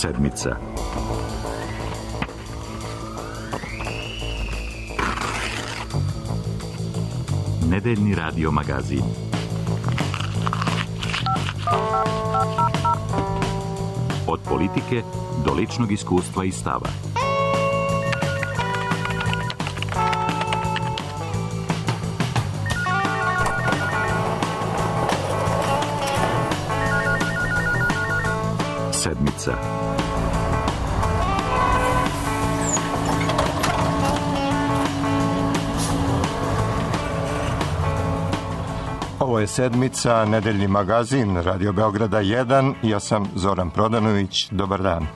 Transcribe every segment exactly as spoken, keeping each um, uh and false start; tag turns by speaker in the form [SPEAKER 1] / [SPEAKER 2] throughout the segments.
[SPEAKER 1] Sedmica. Nedeljni radio magazin. Od politike do ličnog iskustva i stava. Sedmica.
[SPEAKER 2] Ovo je Sedmica, nedeljni magazin Radio Beograda jedan. Ja sam Zoran Prodanović. Dobar dan.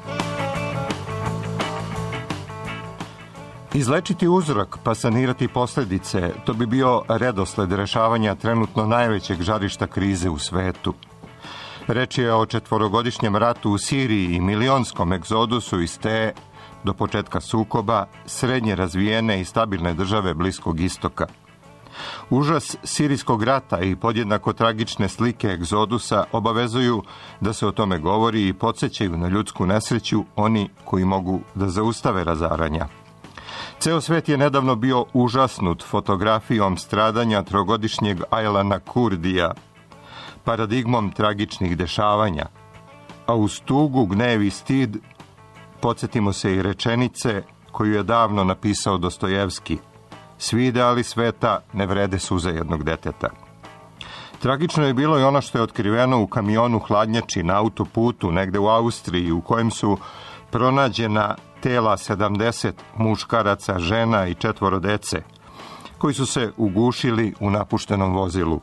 [SPEAKER 2] Izlečiti uzrok pa sanirati posljedice, to bi bio redosled rešavanja trenutno najvećeg žarišta krize u svetu. Reč je o četvorogodišnjem ratu u Siriji i milionskom egzodusu iz te, do početka sukoba, srednje razvijene i stabilne države Bliskog istoka. Užas sirijskog rata i podjednako tragične slike egzodusa obavezuju da se o tome govori i podsjećaju na ljudsku nesreću oni koji mogu da zaustave razaranja. Ceo svet je nedavno bio užasnut fotografijom stradanja trogodišnjeg Aylana Kurdija, paradigmom tragičnih dešavanja, a uz tugu, gnev i stid podsjetimo se i rečenice koju je davno napisao Dostojevski: svi ideali sveta ne vrede suze jednog deteta. Tragično je bilo i ono što je otkriveno u kamionu hladnjači na autoputu negde u Austriji, u kojem su pronađena tela sedamdeset muškaraca, žena i četvoro dece, koji su se ugušili u napuštenom vozilu.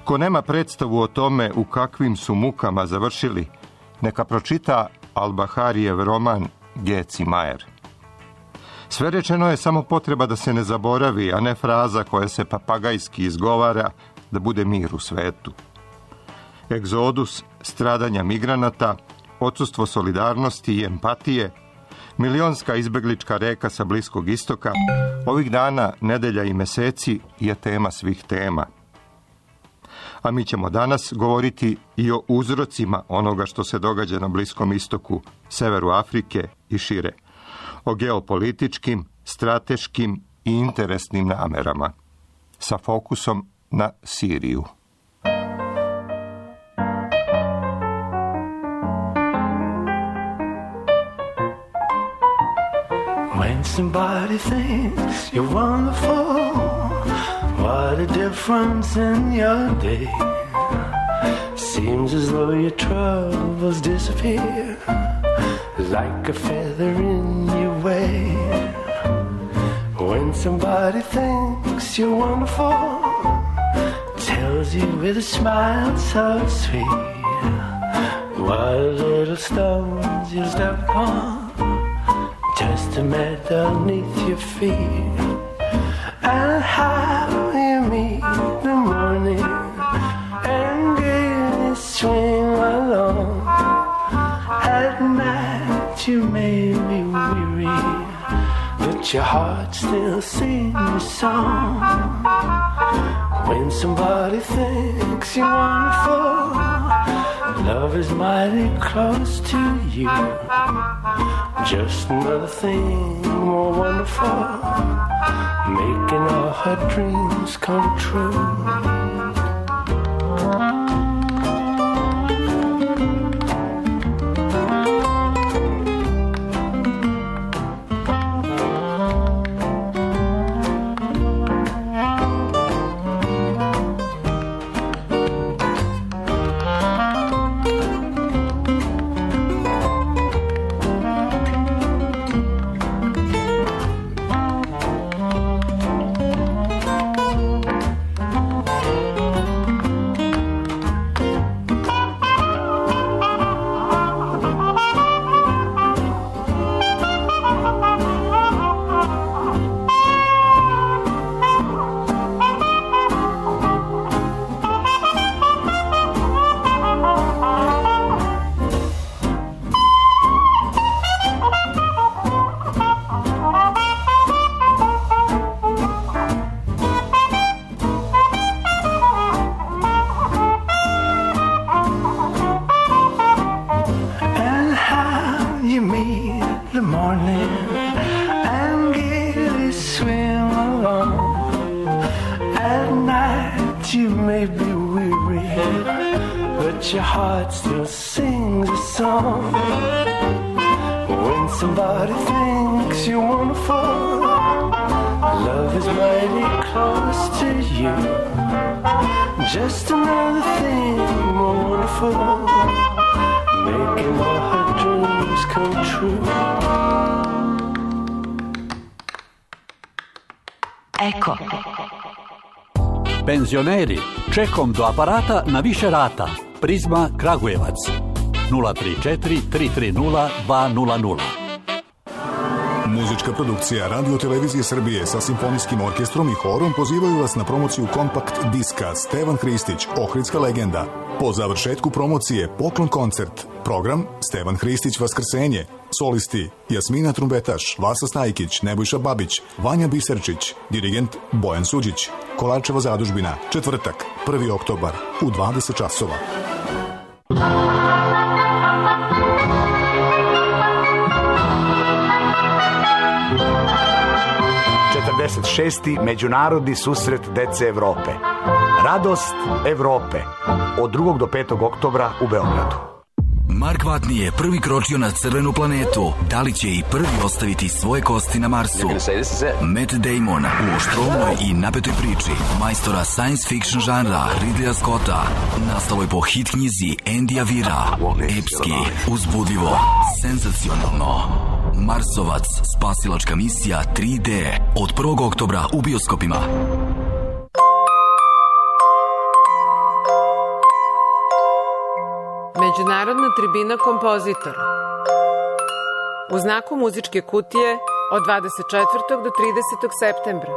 [SPEAKER 2] Ko nema predstavu o tome u kakvim su mukama završili, neka pročita Al-Baharijev roman Geci Majer. Sve rečeno je samo potreba da se ne zaboravi, a ne fraza koja se papagajski izgovara da bude mir u svetu. Egzodus, stradanja migranata, odsustvo solidarnosti i empatije, milionska izbeglička reka sa Bliskog istoka, ovih dana, nedelja i meseci je tema svih tema. A mi ćemo danas govoriti i o uzrocima onoga što se događa na Bliskom istoku, severu Afrike i šire. O geopolitičkim, strateškim i interesnim namerama, sa fokusom na Siriju.
[SPEAKER 3] When somebody thinks you're wonderful, what a difference in your day. Seems as though your troubles disappear like a feather in your way. When somebody thinks you're wonderful, tells you with a smile so sweet, what little stones you step upon, just to melt underneath your feet. And how you meet the morning and gaily swing along. At night you may be weary, but your heart still sings a song. When somebody thinks you're wonderful, love is mighty close to you. Just another thing more wonderful, making all her dreams come true. but your heart still sings a song. When somebody thinks you're wonderful, love is mighty close to you. Just another thing more wonderful, making all her dreams come true.
[SPEAKER 4] Eko.
[SPEAKER 5] Penzioneri, čekom do aparata na više rata. Prizma Kragujevac. nula tri četiri tri tri nula dva nula nula.
[SPEAKER 6] Muzička produkcija Radio Televizije Srbije sa simfonijskim orkestrom i horom pozivaju vas na promociju kompakt diska Stevan Hristić, Ohridska legenda. Po završetku promocije poklon koncert. Program Stevan Hristić Vaskrsenje. Solisti Jasmina Trumbetaš, Vasa Stajkić, Nebojša Babić, Vanja Biserčić, dirigent Bojan Suđić. Kolarčeva zadužbina, četvrtak, prvi oktobar u dvadeset časova.
[SPEAKER 7] četrdeset šesti Međunarodni susret dece Evrope. Radost Evrope. Od drugog do petog oktobra u Beogradu.
[SPEAKER 8] Mark Watney je prvi kročio na crvenu planetu. Da li će i prvi ostaviti svoje kosti na Marsu? Matt Damon u oštrovnoj i napetoj priči majstora science fiction žanra Ridleya Scotta, nastaloj po hit knjizi Andyja Weira. Epski, uzbudljivo, senzacionalno. Marsovac, spasilačka misija tri D. Od prvog oktobra u bioskopima.
[SPEAKER 9] Međunarodna tribina kompozitora. U znaku muzičke kutije od dvadeset četvrtog do tridesetog septembra.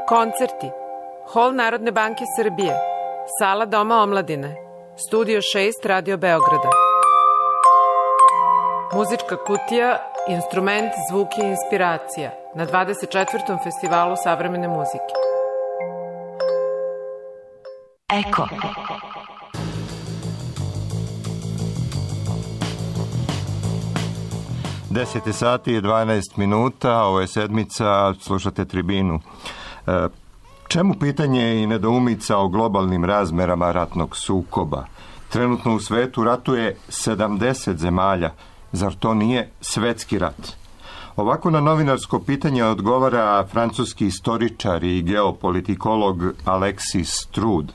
[SPEAKER 9] Koncerti. Hol Narodne banke Srbije. Sala Doma omladine. Studio šest Radio Beograda. Muzička kutija, instrument, zvuk i inspiracija na dvadeset četvrtom festivalu savremene muzike.
[SPEAKER 4] Eko.
[SPEAKER 2] deset sati i dvanaest minuta, ovo je sedmica, slušate Tribinu. E, čemu pitanje i nedoumica o globalnim razmerama ratnog sukoba? Trenutno u svetu ratuje sedamdeset zemalja. Zar to nije svetski rat? Ovako na novinarsko pitanje odgovara francuski istoričar i geopolitikolog Alexis Trud.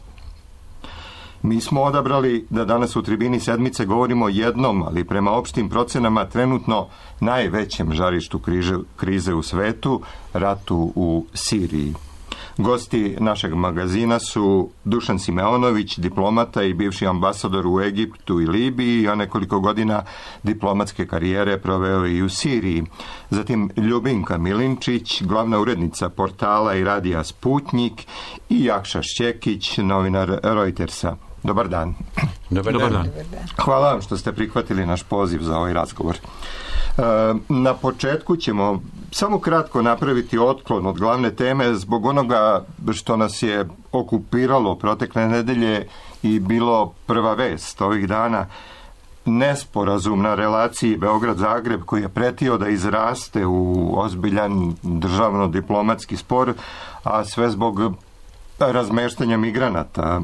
[SPEAKER 2] Mi smo odabrali da danas u Tribini sedmice govorimo o jednom, ali prema opštim procenama trenutno najvećem žarištu krize, krize u svetu, ratu u Siriji. Gosti našeg magazina su Dušan Simeonović, diplomata i bivši ambasador u Egiptu i Libiji, a nekoliko godina diplomatske karijere proveo i u Siriji. Zatim Ljubinka Milinčić, glavna urednica portala i radija Sputnjik, i Jakša Šćekić, novinar Reutersa. Dobar dan.
[SPEAKER 10] Dobar dan. Dobar dan.
[SPEAKER 2] Hvala vam što ste prihvatili naš poziv za ovaj razgovor. Na početku ćemo samo kratko napraviti otklon od glavne teme zbog onoga što nas je okupiralo protekle nedelje i bilo prva vest ovih dana. Nesporazum na relaciji Beograd-Zagreb koji je pretio da izraste u ozbiljan državno-diplomatski spor, a sve zbog razmeštanja migranata.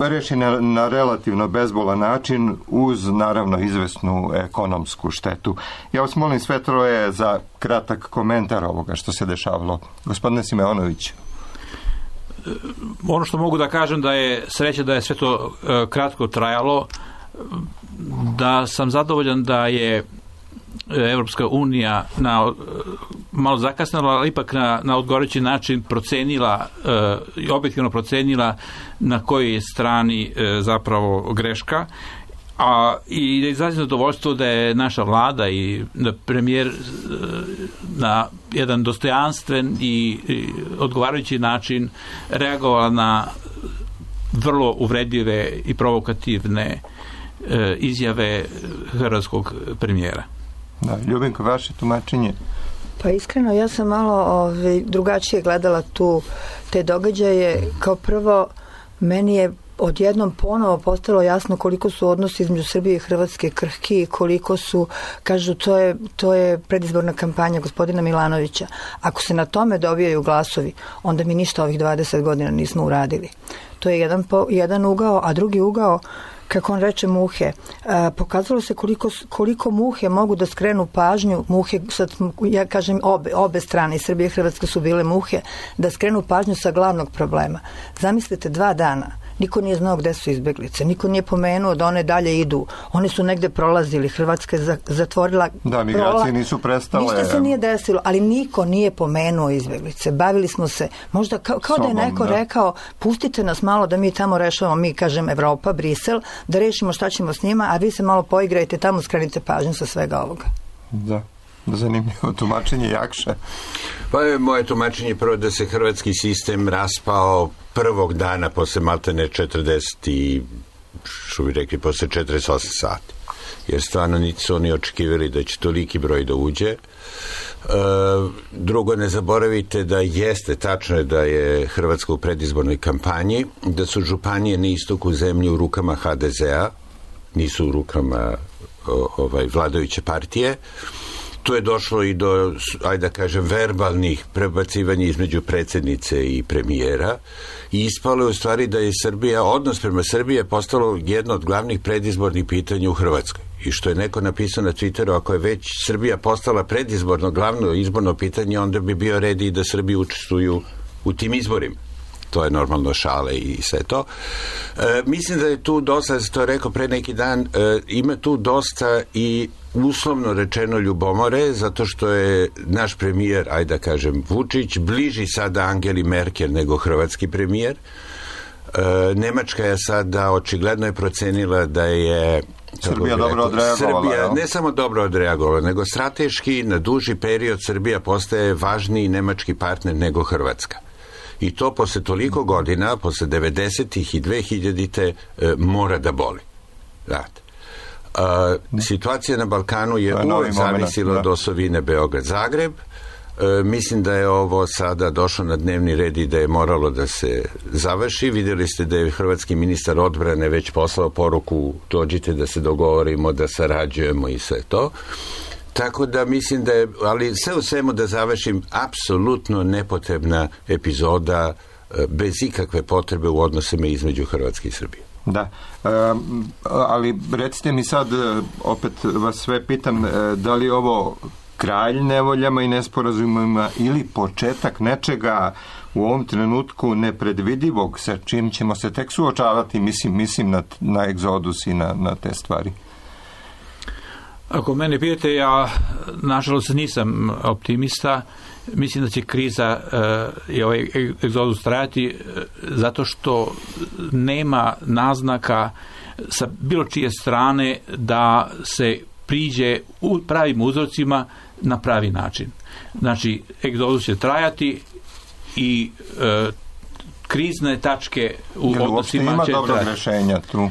[SPEAKER 2] Reši na, na relativno bezbolan način uz naravno izvesnu ekonomsku štetu. Ja vas molim sve troje za kratak komentar ovoga što se dešavalo. Gospodine Simeonović.
[SPEAKER 10] Ono što mogu da kažem da je sreća da je sve to e, kratko trajalo, da sam zadovoljan da je Evropska unija na, malo zakasnila, ali ipak na, na odgovarajući način procenila i e, objektivno procenila na kojoj strani e, zapravo greška, a i da izrazim zadovoljstvo da je naša vlada i da premijer e, na jedan dostojanstven i, i odgovarajući način reagovala na vrlo uvredljive i provokativne e, izjave hrvatskog premijera.
[SPEAKER 2] Da, Ljubinko, vaše tumačenje?
[SPEAKER 11] Pa iskreno, ja sam malo ovaj, drugačije gledala tu te događaje. Kao prvo, meni je odjednom ponovo postalo jasno koliko su odnosi između Srbije i Hrvatske krhki i koliko su, kažu, to je, to je predizborna kampanja gospodina Milanovića. Ako se na tome dobijaju glasovi, onda mi ništa ovih dvadeset godina nismo uradili. To je jedan, po, jedan ugao, a drugi ugao, kako on reče, muhe. A, pokazalo se koliko, koliko muhe mogu da skrenu pažnju, muhe, sad, ja kažem obe, obe strane, Srbije i Hrvatska su bile muhe, da skrenu pažnju sa glavnog problema. Zamislite, dva dana niko nije znao gde su izbeglice, niko nije pomenuo da one dalje idu, one su negde prolazili, Hrvatska je zatvorila
[SPEAKER 2] da, migracije prola... nisu prestale.
[SPEAKER 11] Ništa se nije desilo, ali niko nije pomenuo izbeglice. Bavili smo se, možda kao, kao Sobom, da je neko da. rekao, pustite nas malo da mi tamo rešavamo, mi kažem Evropa, Brisel, da rešimo šta ćemo s njima, a vi se malo poigrajte tamo, skrenite pažnju sa svega ovoga.
[SPEAKER 2] Da. Zanimljivo tumačenje. Jakša.
[SPEAKER 12] Pa je moje tumačenje prvo da se hrvatski sistem raspao prvog dana posle maltene četrdeset i što bi rekli posle četrdeset osam sati. Jer stvarno niti su oni očekivali da će toliki broj da uđe. E, drugo, ne zaboravite da jeste, tačno je da je Hrvatska u predizbornoj kampanji, da su županije na istoku zemlje u rukama ha de zea, nisu u rukama o, ovaj, vladajuće partije. Tu je došlo i do, ajde da kažem, verbalnih prebacivanja između predsjednice i premijera i ispalo je u stvari da je Srbija, odnos prema Srbiji je postalo jedno od glavnih predizbornih pitanja u Hrvatskoj. I što je neko napisao na Twitteru, ako je već Srbija postala predizborno glavno izborno pitanje, onda bi bio red i da Srbi učestvuju u tim izborima. To je normalno šale i sve to. E, mislim da je tu dosta, sam to rekao pre neki dan, e, ima tu dosta i uslovno rečeno ljubomore, zato što je naš premijer, ajde da kažem, Vučić, bliži sada Angeli Merkel nego hrvatski premijer. E, Nemačka je sada očigledno je procenila da je
[SPEAKER 2] Srbija dobro odreagovala.
[SPEAKER 12] Srbija ne samo dobro odreagovala, nego strateški na duži period Srbija postaje važniji nemački partner nego Hrvatska. I to posle toliko godina, posle devedesetih i dvehiljadite e, mora da boli. Znate. A, situacija na Balkanu je uvek zavisila od osovine Beograd-Zagreb. E, mislim da je ovo sada došlo na dnevni red i da je moralo da se završi. Vidjeli ste da je hrvatski ministar odbrane već poslao poruku, dođite da se dogovorimo, da sarađujemo i sve to. Tako da mislim da je, ali sve u svemu da završim, apsolutno nepotrebna epizoda bez ikakve potrebe u odnosima između Hrvatske i Srbije.
[SPEAKER 2] Da, e, ali recite mi sad, opet vas sve pitam, da li ovo kralj nevoljama i nesporazumima ili početak nečega u ovom trenutku nepredvidivog sa čim ćemo se tek suočavati, mislim, mislim na, na egzodus i na, na te stvari?
[SPEAKER 10] Ako mene pitate, ja nažalost nisam optimista. Mislim da će kriza uh, i ovaj egzodus trajati uh, zato što nema naznaka sa bilo čije strane da se priđe u pravim uzrocima na pravi način. Znači, egzodus će trajati i uh, krizne tačke u
[SPEAKER 2] Jel
[SPEAKER 10] odnosima će trajati.
[SPEAKER 2] Jel uopšte ima dobrog rešenja tu?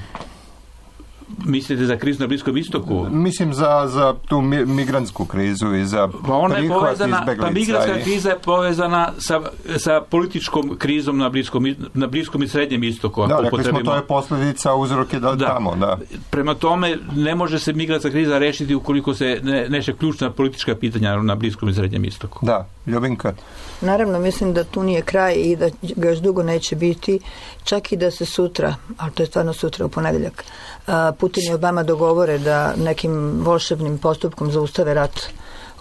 [SPEAKER 10] Mislite za krizu na Bliskom istoku?
[SPEAKER 2] Mislim za, za tu mi, migrantsku krizu i za
[SPEAKER 10] pa ona je
[SPEAKER 2] prihvat
[SPEAKER 10] povezana,
[SPEAKER 2] izbeglica.
[SPEAKER 10] Pa migrantska
[SPEAKER 2] i...
[SPEAKER 10] kriza je povezana sa, sa političkom krizom na Bliskom, na Bliskom i Srednjem istoku.
[SPEAKER 2] Da, rekli smo, to je posljedica, uzrok je da, da tamo. Da.
[SPEAKER 10] Prema tome, ne može se migrantska kriza rešiti ukoliko se ne, neše ključna politička pitanja na Bliskom i Srednjem istoku.
[SPEAKER 2] Da, Ljubinka.
[SPEAKER 11] Naravno, mislim da tu nije kraj i da ga još dugo neće biti, čak i da se sutra, ali to je stvarno sutra u ponedeljak, Putin i Obama dogovore da nekim volšebnim postupkom zaustave rat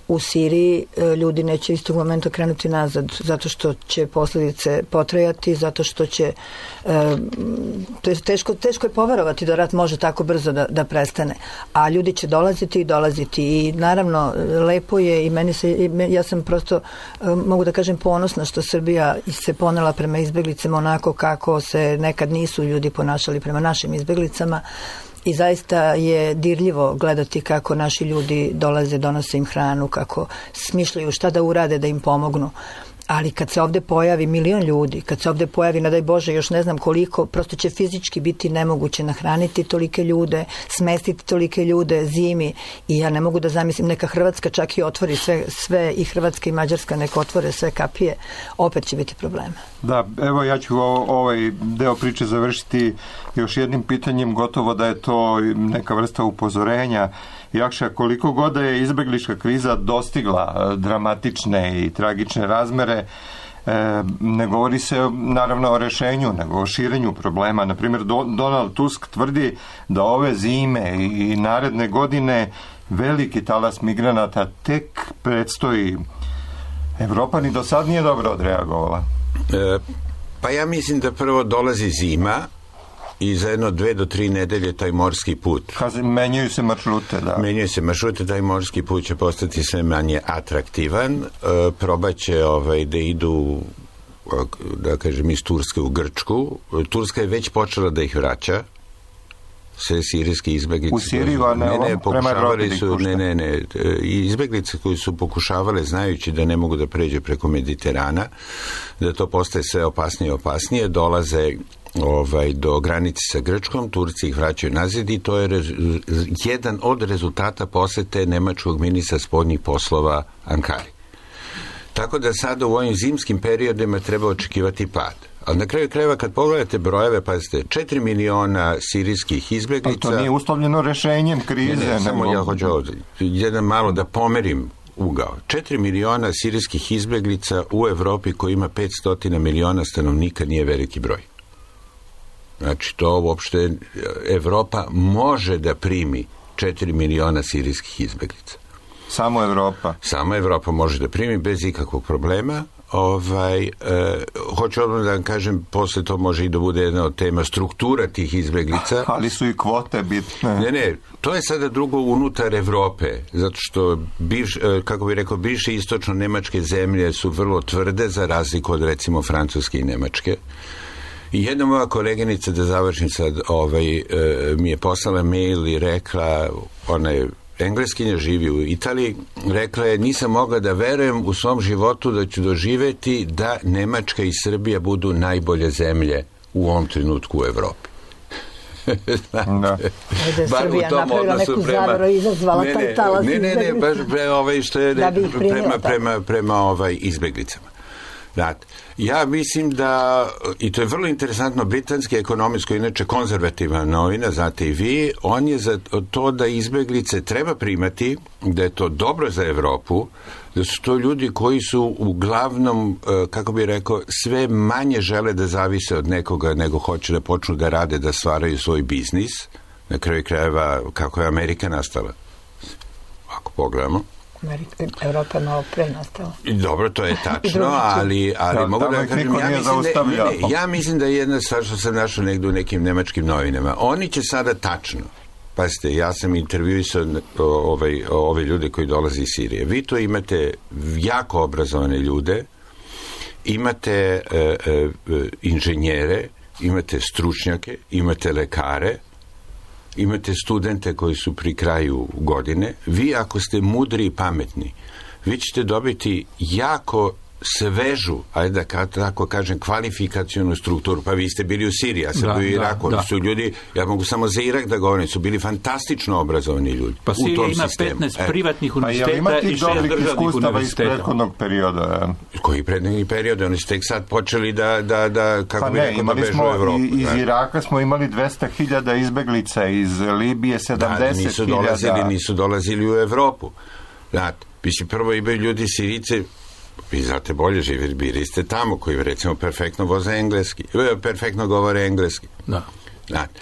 [SPEAKER 11] u Siriji, ljudi neće istog momenta krenuti nazad, zato što će posljedice potrajati, zato što će to je teško, teško je poverovati da rat može tako brzo da, da prestane, a ljudi će dolaziti i dolaziti i naravno lepo je i meni se, ja sam prosto mogu da kažem ponosna što Srbija se ponela prema izbeglicama onako kako se nekad nisu ljudi ponašali prema našim izbeglicama. I zaista je dirljivo gledati kako naši ljudi dolaze, donose im hranu, kako smišljaju šta da urade da im pomognu. Ali kad se ovde pojavi milion ljudi, kad se ovde pojavi, ne daj Bože, još ne znam koliko, prosto će fizički biti nemoguće nahraniti tolike ljude, smestiti tolike ljude zimi i ja ne mogu da zamislim, neka Hrvatska čak i otvori sve, sve i Hrvatska i Mađarska neka otvore sve kapije, opet će biti problema.
[SPEAKER 2] Da, evo ja ću ovaj deo priče završiti još jednim pitanjem, gotovo da je to neka vrsta upozorenja. Jakša, koliko god je izbeglička kriza dostigla dramatične i tragične razmere, E, ne govori se naravno o rešenju, nego o širenju problema. Naprimjer, Do, Donald Tusk tvrdi da ove zime i, i naredne godine veliki talas migranata tek predstoji. Evropa ni do sad nije dobro odreagovala.
[SPEAKER 12] E, pa ja mislim da prvo dolazi zima i za jedno dve do tri nedelje taj morski put.
[SPEAKER 2] Kazi, menjaju se maršrute, da.
[SPEAKER 12] Menjaju se maršrute, taj morski put će postati sve manje atraktivan. E, probaće ovaj, da idu, da kažem, iz Turske u Grčku. Turska je već počela da ih vraća. Sve sirijske izbeglice.
[SPEAKER 2] U Siriju, a ne,
[SPEAKER 12] ne, ne,
[SPEAKER 2] pokušavali
[SPEAKER 12] su, ne, ne, ne, izbeglice koji su pokušavale, znajući da ne mogu da pređe preko Mediterana, da to postaje sve opasnije i opasnije, dolaze ovaj, do granice sa Grčkom, Turci ih vraćaju nazad i to je rez, jedan od rezultata posete nemačkog ministra spoljnih poslova Ankari. Tako da sada u ovim zimskim periodima treba očekivati pad. Ali na kraju krajeva kad pogledate brojeve, pazite, četiri miliona sirijskih izbeglica...
[SPEAKER 2] Ali to nije uslovljeno rešenjem krize.
[SPEAKER 12] Ne, ne, samo ja hoću ovdje, jedan malo da pomerim ugao. četiri miliona sirijskih izbeglica u Evropi koji ima petsto miliona stanovnika nije veliki broj. Znači, to uopšte Evropa može da primi četiri miliona sirijskih izbeglica.
[SPEAKER 2] Samo Evropa?
[SPEAKER 12] Samo Evropa može da primi bez ikakvog problema. Ovaj, e, hoću odmah da vam kažem, posle to može i da bude jedna od tema struktura tih izbeglica.
[SPEAKER 2] Ali su i kvote bitne.
[SPEAKER 12] Ne, ne, to je sada drugo unutar Evrope, zato što, bivš, kako bih rekao, bivše istočno-nemačke zemlje su vrlo tvrde za razliku od, recimo, Francuske i Nemačke. I jedna moja koleginica, da završim sad, ovaj, e, mi je poslala mail i rekla, ona je Engleskinja, živi u Italiji, rekla je, nisam mogla da verujem u svom životu da ću doživeti da Nemačka i Srbija budu najbolje zemlje u ovom trenutku u Evropi.
[SPEAKER 11] Da. Ajde, Srbija napravila neku zavaru i izazvala
[SPEAKER 12] ne,
[SPEAKER 11] taj talas.
[SPEAKER 12] Ne, ne, ne, baš pre, ovaj, što je
[SPEAKER 11] da
[SPEAKER 12] prema, prema, prema ovaj, izbeglicama. Znate, ja mislim da, i to je vrlo interesantno, britanski ekonomist, koji je inače konzervativna novina, znate i vi, on je za to da izbeglice treba primati, da je to dobro za Evropu, da su to ljudi koji su uglavnom, kako bih rekao, sve manje žele da zavise od nekoga nego hoće da počnu da rade, da stvaraju svoj biznis. Na kraju krajeva, kako je Amerika nastala? Ako pogledamo.
[SPEAKER 11] Amerika, Evropa malo pre nastala.
[SPEAKER 12] Dobro, to je tačno, ali, ali da, mogu da kažem, ja mislim da, ne, ne, ja mislim da je jedna stvar što sam našao negdje u nekim nemačkim novinama. Oni će sada tačno, pazite, ja sam intervjuisao ovaj, ove ljude koji dolaze iz Sirije. Vi to imate jako obrazovane ljude, imate e, e, inženjere, imate stručnjake, imate lekare, imate studente koji su pri kraju godine. Vi, ako ste mudri i pametni, vi ćete dobiti jako svežu, ajde da tako kažem, kvalifikacionu strukturu. Pa vi ste bili u Siriji, ja sam da, bio u Iraku. Da, da. Su ljudi, ja mogu samo za Irak da govorim, su bili fantastično obrazovani ljudi.
[SPEAKER 10] Pa
[SPEAKER 12] u tom
[SPEAKER 10] ima
[SPEAKER 12] sistemu.
[SPEAKER 10] petnaest privatnih univerziteta
[SPEAKER 2] pa
[SPEAKER 10] i šest državnih univerziteta.
[SPEAKER 2] Iz prethodnog perioda.
[SPEAKER 12] Koji prethodnih perioda? Oni su tek sad počeli da, da, da kako
[SPEAKER 2] pa
[SPEAKER 12] bi
[SPEAKER 2] ne,
[SPEAKER 12] rekao, da bežu u Evropu.
[SPEAKER 2] Iz Iraka smo imali dvesta hiljada izbeglica, iz Libije sedamdeset hiljada.
[SPEAKER 12] Da, nisu dolazili, nisu dolazili u Evropu. Znate, mislim, prvo imaju ljudi Sirice, vi znate bolje živjeti, bili ste tamo, koji recimo perfektno voze engleski, perfektno govore engleski.
[SPEAKER 10] Da.
[SPEAKER 12] Znate,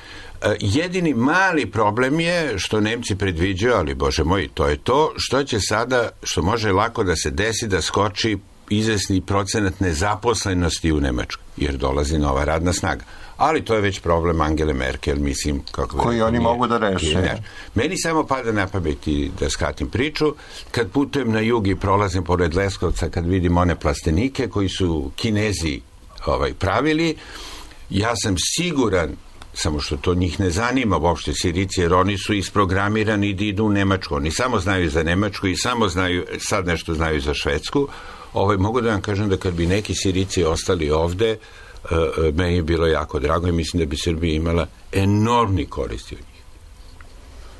[SPEAKER 12] jedini mali problem je što Nemci predviđaju, ali bože moj, to je to što će sada, što može lako da se desi, da skoči izvesni procenat nezaposlenosti u Nemačkoj, jer dolazi nova radna snaga. Ali to je već problem Angele Merkel, mislim, kako
[SPEAKER 2] koji oni
[SPEAKER 12] nije,
[SPEAKER 2] mogu da reše.
[SPEAKER 12] Ne. Meni samo pada na pamet i da skatim priču, kad putujem na jug i prolazim pored Leskovca, kad vidim one plastenike koji su Kinezi ovaj, pravili, ja sam siguran, samo što to njih ne zanima uopšte Sirici, jer oni su isprogramirani da idu u Nemačku. Oni samo znaju za Nemačku i samo znaju, sad nešto znaju za Švedsku. Ovaj, mogu da vam kažem da kad bi neki Sirici ostali ovde, Uh, meni je bilo jako drago i mislim da bi Srbija imala enormni koristi od njih.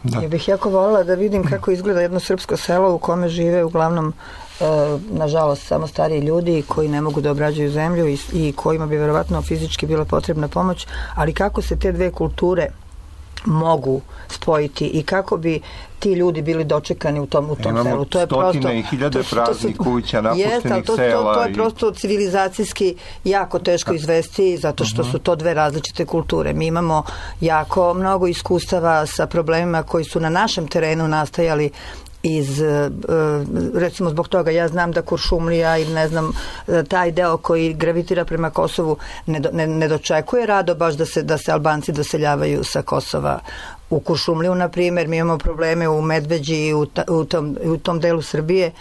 [SPEAKER 11] Da. Ja bih jako voljela da vidim kako izgleda jedno srpsko selo u kome žive uglavnom uh, nažalost samo stariji ljudi koji ne mogu da obrađuju zemlju i, i kojima bi verovatno fizički bila potrebna pomoć, ali kako se te dve kulture mogu spojiti i kako bi ti ljudi bili dočekani u tom, u tom
[SPEAKER 2] Imamo
[SPEAKER 11] selu. To je
[SPEAKER 2] stotine
[SPEAKER 11] prosto,
[SPEAKER 2] i hiljade
[SPEAKER 11] to,
[SPEAKER 2] praznih
[SPEAKER 11] to
[SPEAKER 2] kuća, napuštenih
[SPEAKER 11] to,
[SPEAKER 2] sela.
[SPEAKER 11] To, to je
[SPEAKER 2] i...
[SPEAKER 11] prosto civilizacijski jako teško izvesti zato što uh-huh. su to dve različite kulture. Mi imamo jako mnogo iskustava sa problemima koji su na našem terenu nastajali iz, recimo zbog toga ja znam da Kuršumlija ili ne znam taj deo koji gravitira prema Kosovu ne, do, ne, ne dočekuje rado baš da se, da se Albanci doseljavaju sa Kosova u Kuršumliju, na primjer. Mi imamo probleme u Medveđi i u, ta, u, tom, u tom delu Srbije.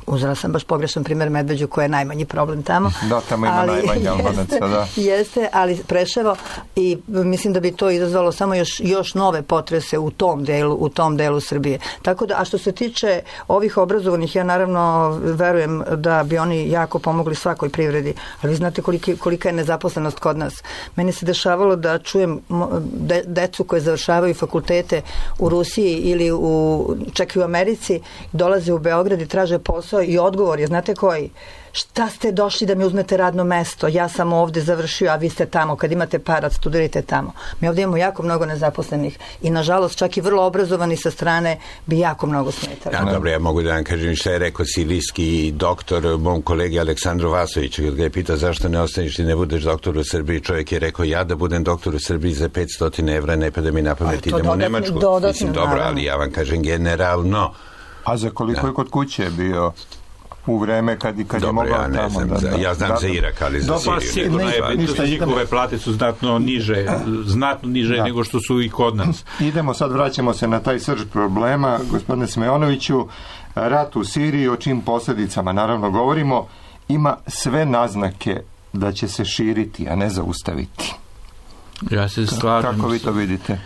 [SPEAKER 11] Uzela sam baš pogrešan primjer Medveđu koja je najmanji problem tamo.
[SPEAKER 2] Da, tamo ima ali, najmanje Albanaca, da.
[SPEAKER 11] Jeste, ali Preševo i mislim da bi to izazvalo samo još, još nove potrese u tom delu, u tom delu Srbije. Tako da, a što se tiče ovih obrazovanih, ja naravno verujem da bi oni jako pomogli svakoj privredi, ali vi znate koliki, kolika je nezaposlenost kod nas. Meni se dešavalo da čujem de, decu koje završavaju fakultete u Rusiji ili u, čak i u Americi, dolaze u Beograd i traže posao i odgovor je, znate koji? Šta ste došli da mi uzmete radno mesto? Ja sam ovde završio, a vi ste tamo. Kad imate para, studirajte tamo. Mi ovdje imamo jako mnogo nezaposlenih i nažalost čak i vrlo obrazovani sa strane bi jako mnogo smetali.
[SPEAKER 12] Ja, dobro, ja mogu da vam kažem šta je rekao sirijski doktor mom kolegi Aleksandru Vasoviću, kad ga je pitao zašto ne ostaniš i ne budeš doktor u Srbiji, čovjek je rekao ja da budem doktor u Srbiji za petsto evra, ne pada mi na pamet, idem u Nemačku.
[SPEAKER 11] Dodatni,
[SPEAKER 12] Mislim, dobro,
[SPEAKER 11] naravno.
[SPEAKER 12] ali ja vam kažem generalno.
[SPEAKER 2] A za koliko je kod kuće bio u vreme kad, kad
[SPEAKER 12] Dobro,
[SPEAKER 2] je mogao
[SPEAKER 12] ja ne
[SPEAKER 2] tamo?
[SPEAKER 12] znam,
[SPEAKER 2] Da,
[SPEAKER 12] za,
[SPEAKER 2] da,
[SPEAKER 12] ja znam
[SPEAKER 2] da,
[SPEAKER 12] za Irak, ali za Siriju.
[SPEAKER 10] Pa sigurno je, ništa, njihove plate su znatno niže, znatno niže da. nego što su i kod nas.
[SPEAKER 2] Idemo sad, vraćamo se na taj srž problema. Gospodine Smeonoviću, rat u Siriji, o čim posljedicama naravno govorimo, ima sve naznake da će se širiti, a ne zaustaviti.
[SPEAKER 10] Ja se slažem.
[SPEAKER 2] Kako vi to vidite?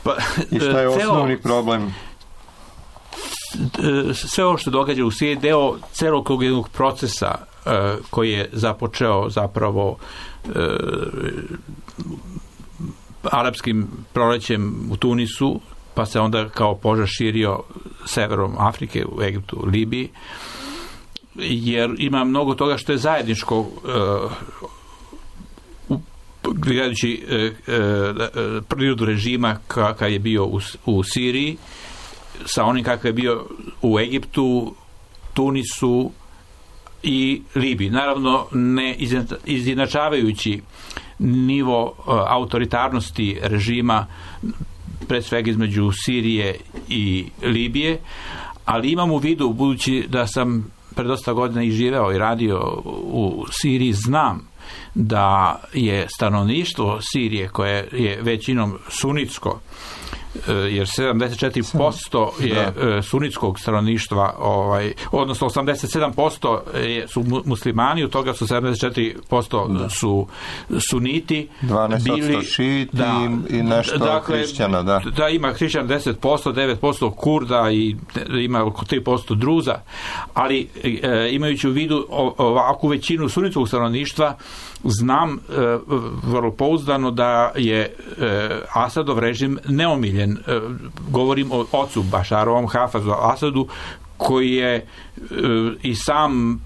[SPEAKER 10] Pa,
[SPEAKER 2] I šta je
[SPEAKER 10] ceo,
[SPEAKER 2] osnovni problem?
[SPEAKER 10] Sve ovo što događa u Siriji deo celog jednog procesa uh, koji je započeo zapravo uh, arapskim prolećem u Tunisu, pa se onda kao požar širio severom Afrike, u Egiptu, Libiji, jer ima mnogo toga što je zajedničko uh, gledajući e, e, prirodu režima kakav je bio u, u Siriji sa onim kakav je bio u Egiptu, Tunisu i Libiji. Naravno, ne izjednačavajući nivo e, autoritarnosti režima pred svega između Sirije i Libije, ali imam u vidu, budući da sam pred dosta godina i živeo i radio u Siriji, znam da je stanovništvo Sirije, koje je većinom sunitsko, jer sedamdeset četiri posto je da. sunitskog stanovništva, ovaj, odnosno osamdeset sedam posto je, su muslimani, od toga su sedamdeset četiri posto da. su suniti,
[SPEAKER 2] dvanaest posto šiti
[SPEAKER 10] da,
[SPEAKER 2] i nešto
[SPEAKER 10] dakle,
[SPEAKER 2] hrišćana, da.
[SPEAKER 10] Da, ima hrišćana deset posto, devet posto Kurda i ima oko tri posto Druza, ali e, imajući u vidu ovakvu većinu sunitskog stanovništva, znam e, vrlo pouzdano da je e, Asadov režim neomiljen. E, govorim o ocu Bašarovom, Hafazu Asadu, koji je e, i sam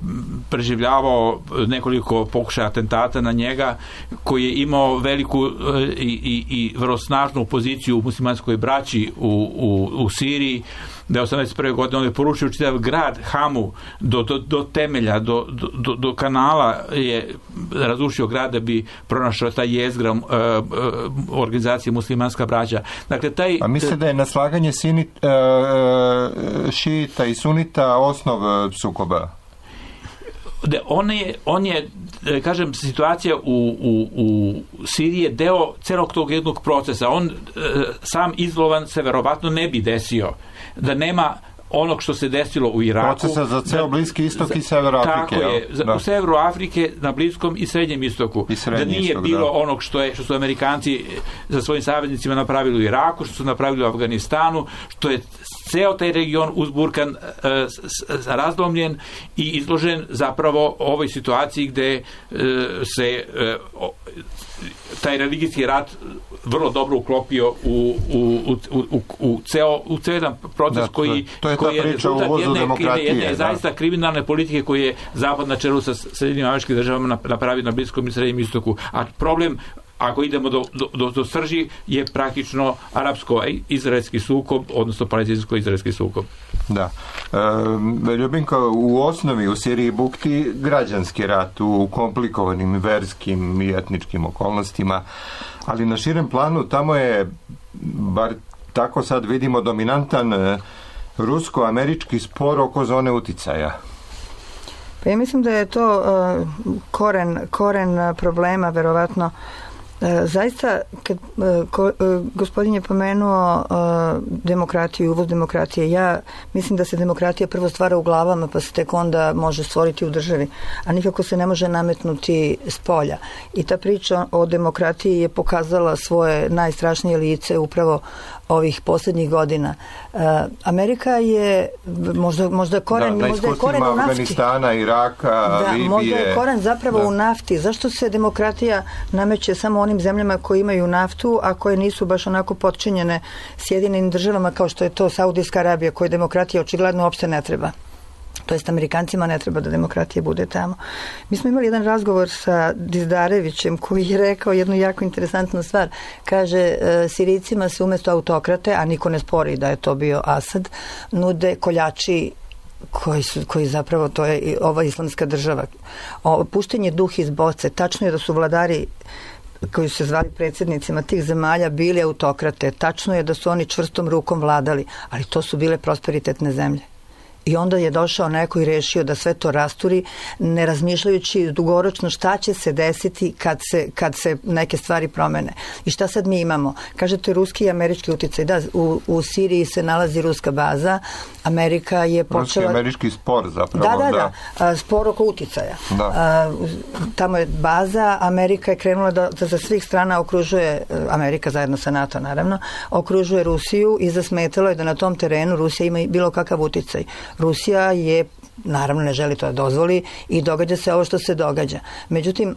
[SPEAKER 10] preživljavao nekoliko pokušaja atentata na njega, koji je imao veliku e, i, i vrlo snažnu poziciju u muslimanskoj braći u, u, u Siriji, da je osamdeset prve godine on je porušio čitav grad Hamu do, do, do temelja, do, do, do kanala je razrušio grad da bi pronašao taj jezgra uh, uh, organizacije muslimanska braća. Dakle, taj...
[SPEAKER 2] A misle da je naslaganje sinit, uh, šita i sunita osnov sukoba?
[SPEAKER 10] On je, on je, kažem, situacija u, u, u Siriji je deo celog tog jednog procesa. On sam izolovan se verovatno ne bi desio da nema onog što se desilo u Iraku.
[SPEAKER 2] Procesa za ceo Bliski istok i sever Afrike.
[SPEAKER 10] Tako je, za, u severu Afrike, na Bliskom i Srednjem istoku.
[SPEAKER 2] I srednji
[SPEAKER 10] da nije
[SPEAKER 2] istok,
[SPEAKER 10] bilo
[SPEAKER 2] da.
[SPEAKER 10] onog što, je, što su Amerikanci za svojim saveznicima napravili u Iraku, što su napravili u Afganistanu, što je ceo taj region uzburkan, e, razlomljen i izložen zapravo ovoj situaciji gde e, se e, o, taj religijski rat vrlo dobro uklopio u, u, u, u, u, ceo, u ceo jedan proces da, koji,
[SPEAKER 2] to je
[SPEAKER 10] koji je
[SPEAKER 2] rezultat jedne,
[SPEAKER 10] jedne, jedne zaista kriminalne politike koje je Zapad na čelu sa Sjedinjenim Američkim Državama napravio na Bliskom i Srednjem istoku. A problem ako idemo do, do, do srži, je praktično arapsko-izraelski sukob, odnosno palestinsko-izraelski sukob.
[SPEAKER 2] Da. E, Ljubinko, u osnovi u Siriji bukti građanski rat u komplikovanim verskim i etničkim okolnostima, ali na širem planu tamo je, bar tako sad vidimo, dominantan rusko-američki spor oko zone uticaja.
[SPEAKER 11] Pa ja mislim da je to uh, koren, koren problema, verovatno. Uh, zaista, kad uh, ko, uh, gospodin je pomenuo uh, demokratiju, uvoz demokratije, ja mislim da se demokratija prvo stvara u glavama, pa se tek onda može stvoriti u državi, a nikako se ne može nametnuti s polja. I ta priča o demokratiji je pokazala svoje najstrašnije lice upravo ovih posljednjih godina. Uh, Amerika je možda, možda koren,
[SPEAKER 2] da,
[SPEAKER 11] možda je koren u nafti.
[SPEAKER 2] Afganistana, Iraka,
[SPEAKER 11] da,
[SPEAKER 2] Libije.
[SPEAKER 11] Možda je koren zapravo
[SPEAKER 2] da.
[SPEAKER 11] u nafti. Zašto se demokratija nameće samo onim zemljama koji imaju naftu, a koje nisu baš onako potčinjene Sjedinjenim državama kao što je to Saudijska Arabija, koje demokratija očigledno uopšte ne treba. To jest Amerikancima ne treba da demokratija bude tamo. Mi smo imali jedan razgovor sa Dizdarevićem koji je rekao jednu jako interesantnu stvar. Kaže, Sirijcima se umjesto autokrate, a niko ne spori da je to bio Asad, nude koljači koji, su, koji zapravo, to je ova islamska država. O, puštenje duh iz boce. Tačno je da su vladari koji su se zvali predsjednicima tih zemalja bili autokrate. Tačno je da su oni čvrstom rukom vladali, ali to su bile prosperitetne zemlje. I onda je došao neko i rešio da sve to rasturi, ne razmišljajući dugoročno šta će se desiti kad se, kad se neke stvari promene. I šta sad mi imamo? Kažete ruski i američki uticaj. Da, u, u Siriji se nalazi ruska baza. Amerika je počela...
[SPEAKER 2] Ruski i američki spor zapravo.
[SPEAKER 11] Da, da, da. da. Spor oko uticaja. Da. Tamo je baza. Amerika je krenula da, da za svih strana okružuje, Amerika zajedno sa NATO naravno, okružuje Rusiju i zasmetalo je da na tom terenu Rusija ima bilo kakav uticaj. Rusija je, naravno ne želi to da dozvoli i događa se ovo što se događa. Međutim,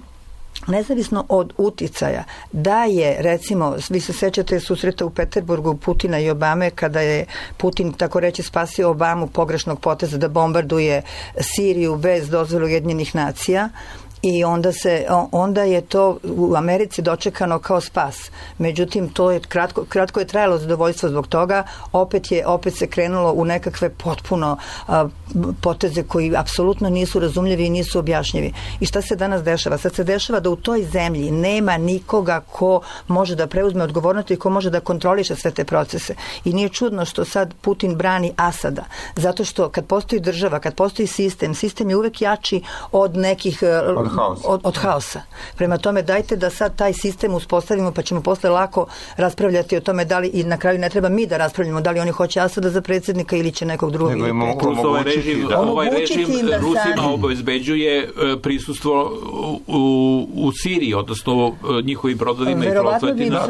[SPEAKER 11] nezavisno od uticaja, da je, recimo, vi se sećate susreta u Peterburgu Putina i Obame, kada je Putin, tako reći, spasio Obamu pogrešnog poteza da bombarduje Siriju bez dozvole Ujedinjenih nacija. I onda, se, onda je to u Americi dočekano kao spas. Međutim, to je kratko, kratko je trajalo zadovoljstvo zbog toga. Opet, je, opet se krenulo u nekakve potpuno a, poteze koji apsolutno nisu razumljivi i nisu objašnjivi. I šta se danas dešava? Sad se dešava da u toj zemlji nema nikoga ko može da preuzme odgovornost i ko može da kontroliše sve te procese. I nije čudno što sad Putin brani Asada. Zato što kad postoji država, kad postoji sistem, sistem je uvek jači od nekih...
[SPEAKER 2] Od haosa.
[SPEAKER 11] Od, od haosa. Prema tome, dajte da sad taj sistem uspostavimo, pa ćemo posle lako raspravljati o tome da li, i na kraju ne treba mi da raspravljamo da li oni hoće Asada za predsjednika ili će nekog drugog.
[SPEAKER 10] Nego im ovaj režim, da. ovaj režim Rusima obezbeđuje prisustvo u, u Siriji, odnosno njihovim brodovima i prosletima.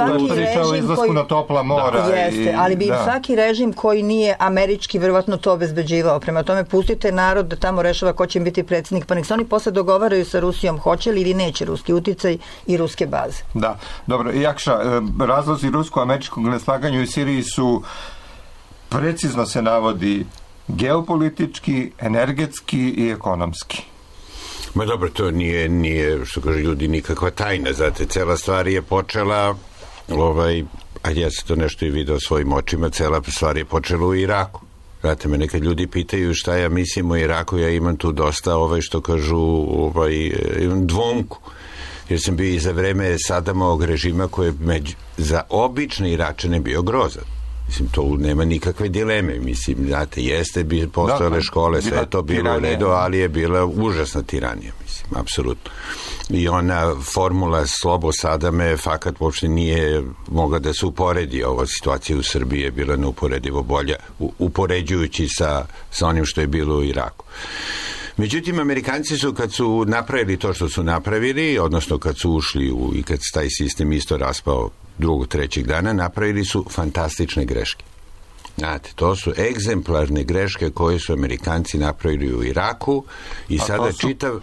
[SPEAKER 2] Izlasku na topla mora.
[SPEAKER 11] Da. Jeste, i, ali bi da. svaki režim koji nije američki verovatno to obezbeđivao. Prema tome, pustite narod da tamo rešava ko će im biti predsjednik, pa nek se oni posle dogovaraju sa Rusijom hoće li ili neće ruski uticaj i ruske baze.
[SPEAKER 2] Da, dobro. Jakša, razlozi rusko-američkog neslaganja u Siriji su, precizno se navodi, geopolitički, energetski i ekonomski.
[SPEAKER 12] Ma dobro, to nije, nije što kaže ljudi, nikakva tajna. Znate, cela stvar je počela, ovaj, a ja sam to nešto i video svojim očima, cela stvar je počela u Iraku. Znate, me nekad ljudi pitaju šta ja mislim o Iraku, ja imam tu dosta, ovaj, što kažu, ovaj, imam dvomku. Jer sam bio i za vreme Sadamovog režima koji je među, za obične Iračane bio grozan. Mislim, to nema nikakve dileme. Mislim, znate, jeste bi postojale da, škole, sve je to bilo u redu, ali je bila užasna tiranija, mislim, apsolutno. I ona formula Slobo Sadame fakat uopšte nije mogla da se uporedi. Ova situacija u Srbiji je bila neuporedivo bolja, upoređujući sa, sa onim što je bilo u Iraku. Međutim, Amerikanci su, kad su napravili to što su napravili, odnosno kad su ušli u, i kad se taj sistem isto raspao drugog, trećeg dana, napravili su fantastične greške. Znate, to su egzemplarne greške koje su Amerikanci napravili u Iraku i a sada su... čitav... Uh,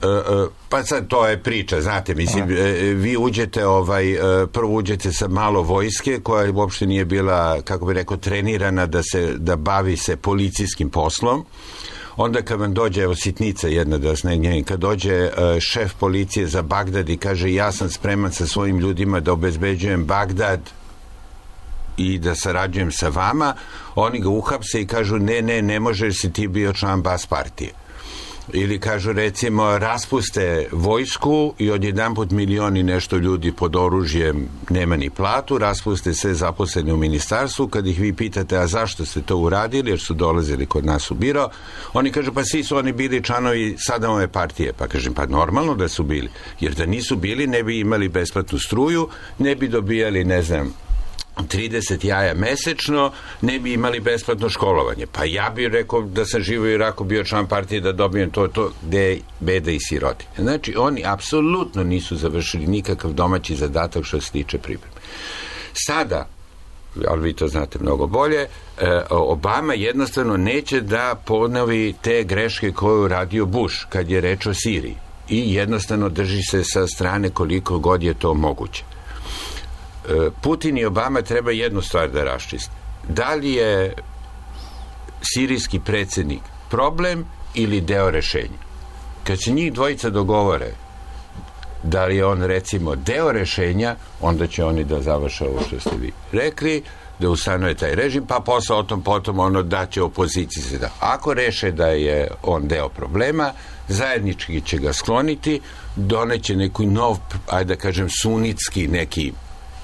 [SPEAKER 12] uh, pa sad to je priča, znate, mislim, uh, vi uđete ovaj, uh, prvo uđete sa malo vojske koja uopšte nije bila, kako bi rekao, trenirana da se, da bavi se policijskim poslom. onda kad vam dođe, evo sitnica jedna da vas ne gnjavim, kad dođe uh, šef policije za Bagdad i kaže ja sam spreman sa svojim ljudima da obezbeđujem Bagdad i da sarađujem sa vama, oni ga uhapse i kažu ne, ne, ne možeš, si ti bio član Bas partije. Ili kažu recimo raspuste vojsku i odjedanput milioni nešto ljudi pod oružjem nema ni platu, raspuste sve zaposlene u ministarstvu, kad ih vi pitate a zašto ste to uradili, jer su dolazili kod nas u biro, oni kažu pa svi su oni bili članovi Sadamove partije. Pa kažem pa normalno da su bili, jer da nisu bili ne bi imali besplatnu struju, ne bi dobijali ne znam trideset jaja mesečno, ne bi imali besplatno školovanje. Pa ja bih rekao da sam živo u Iraku bio član partije da dobijem to, to gde je beda i siroti. Znači, oni apsolutno nisu završili nikakav domaći zadatak što se tiče pripreme. Sada, ali vi to znate mnogo bolje, Obama jednostavno neće da ponovi te greške koje je uradio Bush kad je reč o Siriji. I jednostavno drži se sa strane koliko god je to moguće. Putin i Obama treba jednu stvar da raščiste. Da li je sirijski predsjednik problem ili deo rešenja? Kad se njih dvojica dogovore da li je on recimo deo rešenja, onda će oni da završe ovo što ste vi rekli, da ustanuje taj režim, pa posle o tom potom ono da će opoziciji se da. Ako reše da je on deo problema, zajednički će ga skloniti, doneće neku nov, ajde da kažem, sunitski neki,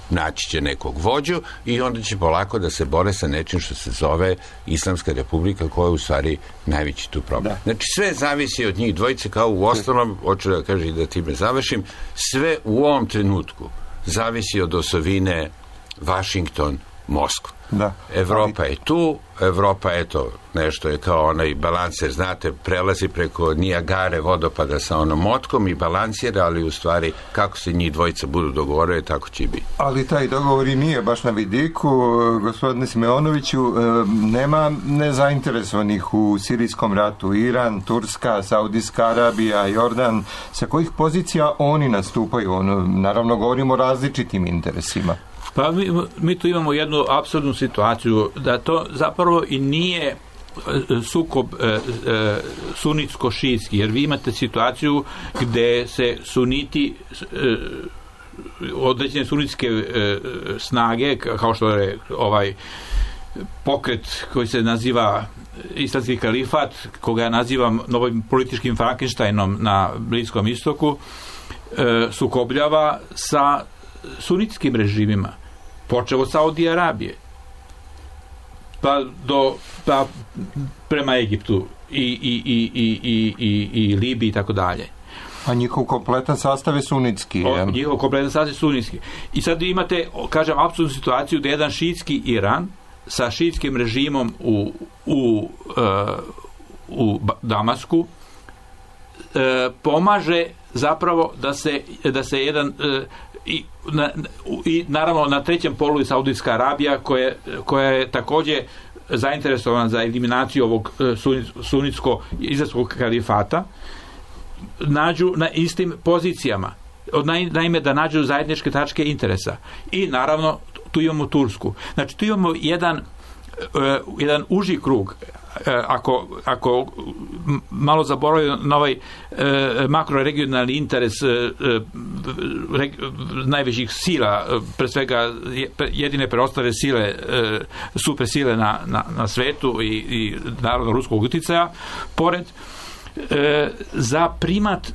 [SPEAKER 12] naći će nekog vođu i onda će polako da se bore sa nečim što se zove Islamska republika, koja je u stvari najveći tu problem. Da. Znači sve zavisi od njih dvojice, kao u ostalom, hoću da kažem i da time završim, sve u ovom trenutku zavisi od osovine Washington, Moskva. Da. Evropa je tu, Evropa, eto, nešto je kao onaj balanser, znate, prelazi preko Nijagare vodopada sa onom motkom i balansira, ali u stvari kako se njih dvojica budu dogovorili, tako će i biti.
[SPEAKER 2] Ali taj dogovor i nije baš na vidiku, gospodine Simeonoviću, nema nezainteresovanih u sirijskom ratu, Iran, Turska, Saudijska Arabija, Jordan, sa kojih pozicija oni nastupaju? Ono, naravno, govorimo o različitim interesima.
[SPEAKER 10] Pa mi, mi tu imamo jednu apsurdnu situaciju, da to zapravo i nije sukob e, e, sunitsko-šijski, jer vi imate situaciju gde se suniti e, određene sunitske e, snage, kao što je ovaj pokret koji se naziva Islamski kalifat, koga ja nazivam novim političkim Frankensteinom na Bliskom istoku, e, sukobljava sa sunitskim režimima, počeo od Saudije Arabije pa do pa prema Egiptu i, i, i, i, i, i, i Libiji i tako dalje.
[SPEAKER 2] A njihov kompletan sastav je sunitski.
[SPEAKER 10] O, njihov kompletan sastav je sunitski. I sad imate, kažem, apsolutnu situaciju da jedan šiitski Iran sa šiitskim režimom u, u, uh, u Damasku uh, pomaže zapravo da se, da se jedan uh, i, na, i naravno na trećem polu je Saudijska Arabija koja, koja je također zainteresovana za eliminaciju ovog sunitsko-izraelskog kalifata, nađu na istim pozicijama. Naime, da nađu zajedničke tačke interesa. I naravno tu imamo Tursku. Znači tu imamo jedan, uh, jedan uži krug. Ako, ako malo zaboravimo na ovaj e, makroregionalni interes e, re, najvećih sila, pre svega jedine preostale sile e, super sile na, na, na svetu i, i naravno ruskog uticaja, pored e, za primat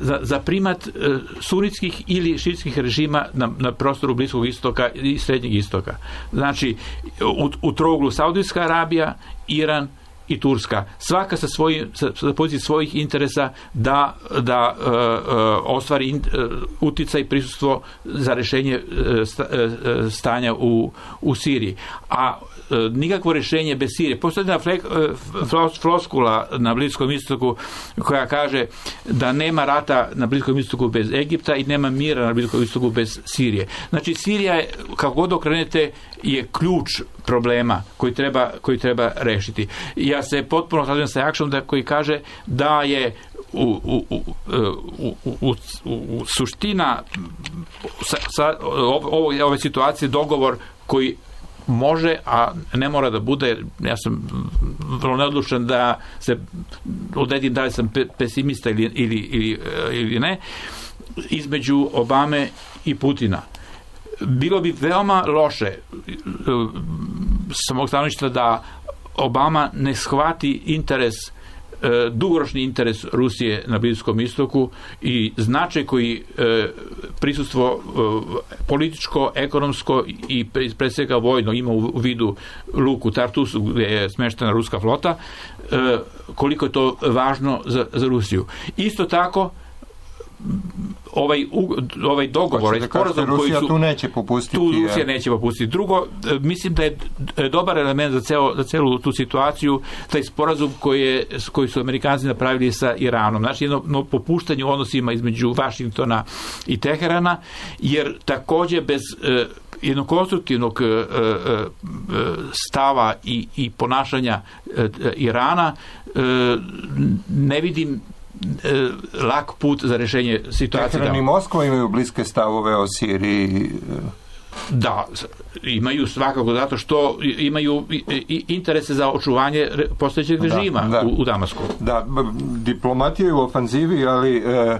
[SPEAKER 10] Za, za primat sunitskih ili šiitskih režima na, na prostoru Bliskog istoka i Srednjeg istoka. Znači, u, u trouglu Saudijska Arabija, Iran i Turska. Svaka sa, svojim, sa, sa pozicije svojih interesa da, da uh, uh, ostvari in, uh, uticaj i prisustvo za rešenje uh, sta, uh, stanja u, u Siriji. A nikakvo rješenje bez Sirije. Postoji jedna floskula na Bliskom istoku koja kaže da nema rata na Bliskom istoku bez Egipta i nema mira na Bliskom istoku bez Sirije. Znači Sirija je, kako god okrenete, je ključ problema koji treba, koji treba rešiti. Ja se potpuno slažem sa Jakšom da koji kaže da je u, u, u, u, u, u suština sa, sa ove, ove situacije dogovor koji može, a ne mora da bude, ja sam vrlo neodlučan da se odredim da li sam pesimista ili, ili, ili, ili ne, između Obame i Putina. Bilo bi veoma loše sa mog stanovišta da Obama ne shvati interes, dugoročni interes Rusije na Bliskom istoku i značaj koji prisustvo političko, ekonomsko i pre svega vojno ima u vidu luku Tartus gdje je smeštena ruska flota, koliko je to važno za, za Rusiju. Isto tako ovaj, ovaj dogovor, ovaj sporazum koji su...
[SPEAKER 2] tu neće popustiti.
[SPEAKER 10] Tu Rusija neće popustiti. Drugo, mislim da je dobar element za, ceo, za celu tu situaciju taj sporazum koji, je, koji su Amerikanci napravili sa Iranom. Znači, jedno, jedno popuštanje u odnosima između Vašingtona i Teherana, jer takođe bez eh, jednog konstruktivnog eh, eh, stava i, i ponašanja eh, Irana eh, ne vidim lak put za rešenje situacije.
[SPEAKER 2] Teheran i Moskva imaju bliske stavove o Siriji.
[SPEAKER 10] Da, imaju svakako zato što imaju interese za očuvanje postojećeg režima da, da. U, u Damasku.
[SPEAKER 2] Da, diplomatija je u ofanzivi, ali e,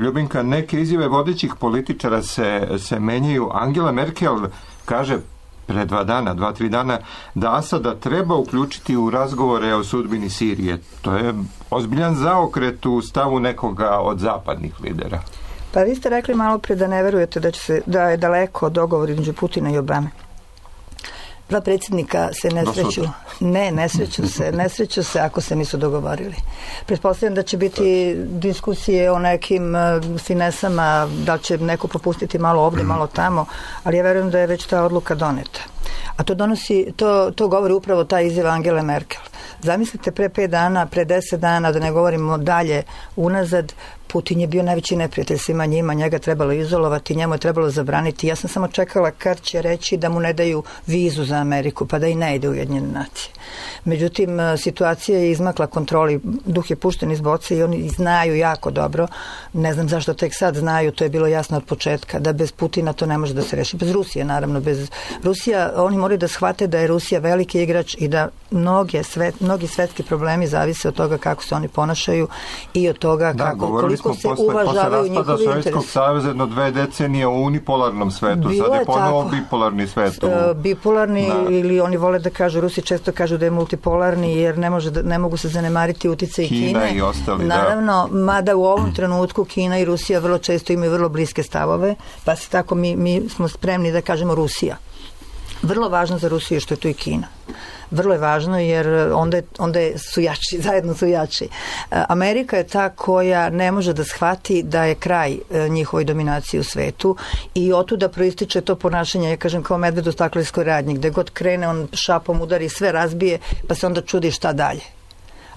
[SPEAKER 2] Ljubinka, neke izjave vodećih političara se, se menjaju. Angela Merkel kaže pre dva dana, dva, tri dana, da Asada treba uključiti u razgovore o sudbini Sirije. To je ozbiljan zaokret u stavu nekoga od zapadnih lidera.
[SPEAKER 11] Pa vi ste rekli malo pre da ne verujete da, će se, da je daleko dogovor između Putina i Obame. Dva predsjednika se ne sreću. Ne, ne sreću se. Ne sreću se ako se nisu dogovorili. Pretpostavljam da će biti diskusije o nekim finesama, da će neko popustiti malo ovdje, malo tamo, ali ja verujem da je već ta odluka doneta. A to donosi, to, to govori upravo ta izjava Angele Merkel. Zamislite pre pet dana, pre deset dana, da ne govorimo dalje unazad, Putin je bio najveći neprijatelj svima njima, njega trebalo izolovati, njemu je trebalo zabraniti. Ja sam samo čekala kad će reći da mu ne daju vizu za Ameriku, pa da i ne ide u Ujedinjene nacije. Međutim, situacija je izmakla kontroli, duh je pušten iz boce i oni znaju jako dobro, ne znam zašto tek sad znaju, to je bilo jasno od početka, da bez Putina to ne može da se reši. Bez Rusije, naravno, bez Rusija, oni moraju da shvate da je Rusija veliki igrač i da mnoge svet, mnogi svetski problemi zavise od toga kako se oni ponašaju i od toga
[SPEAKER 2] da,
[SPEAKER 11] kako, koliko se
[SPEAKER 2] posle,
[SPEAKER 11] uvažavaju njihovi interesi.
[SPEAKER 2] Sovjetskog saveza jedno dve decenije u unipolarnom svetu,
[SPEAKER 11] Bilo
[SPEAKER 2] sad je,
[SPEAKER 11] je
[SPEAKER 2] ponovo
[SPEAKER 11] tako.
[SPEAKER 2] bipolarni svet. U...
[SPEAKER 11] Bipolarni
[SPEAKER 2] da.
[SPEAKER 11] Ili oni vole da kažu, Rusi često kažu da je multipolarni jer ne, može da, ne mogu se zanemariti utjecaj Kine.
[SPEAKER 2] Kina i ostali,
[SPEAKER 11] Naravno, da. Mada u ovom trenutku Kina i Rusija vrlo često imaju vrlo bliske stavove, pa se tako mi, mi smo spremni da kažemo Rusija. Vrlo važno za Rusiju što je tu i Kina. Vrlo je važno jer onda, je, onda je su jači, zajedno su jači. Amerika je ta koja ne može da shvati da je kraj njihovoj dominaciji u svetu i otuda proističe to ponašanje, ja kažem, kao medved u staklenskoj radnji, gde god krene on šapom udari, sve razbije, pa se onda čudi šta dalje.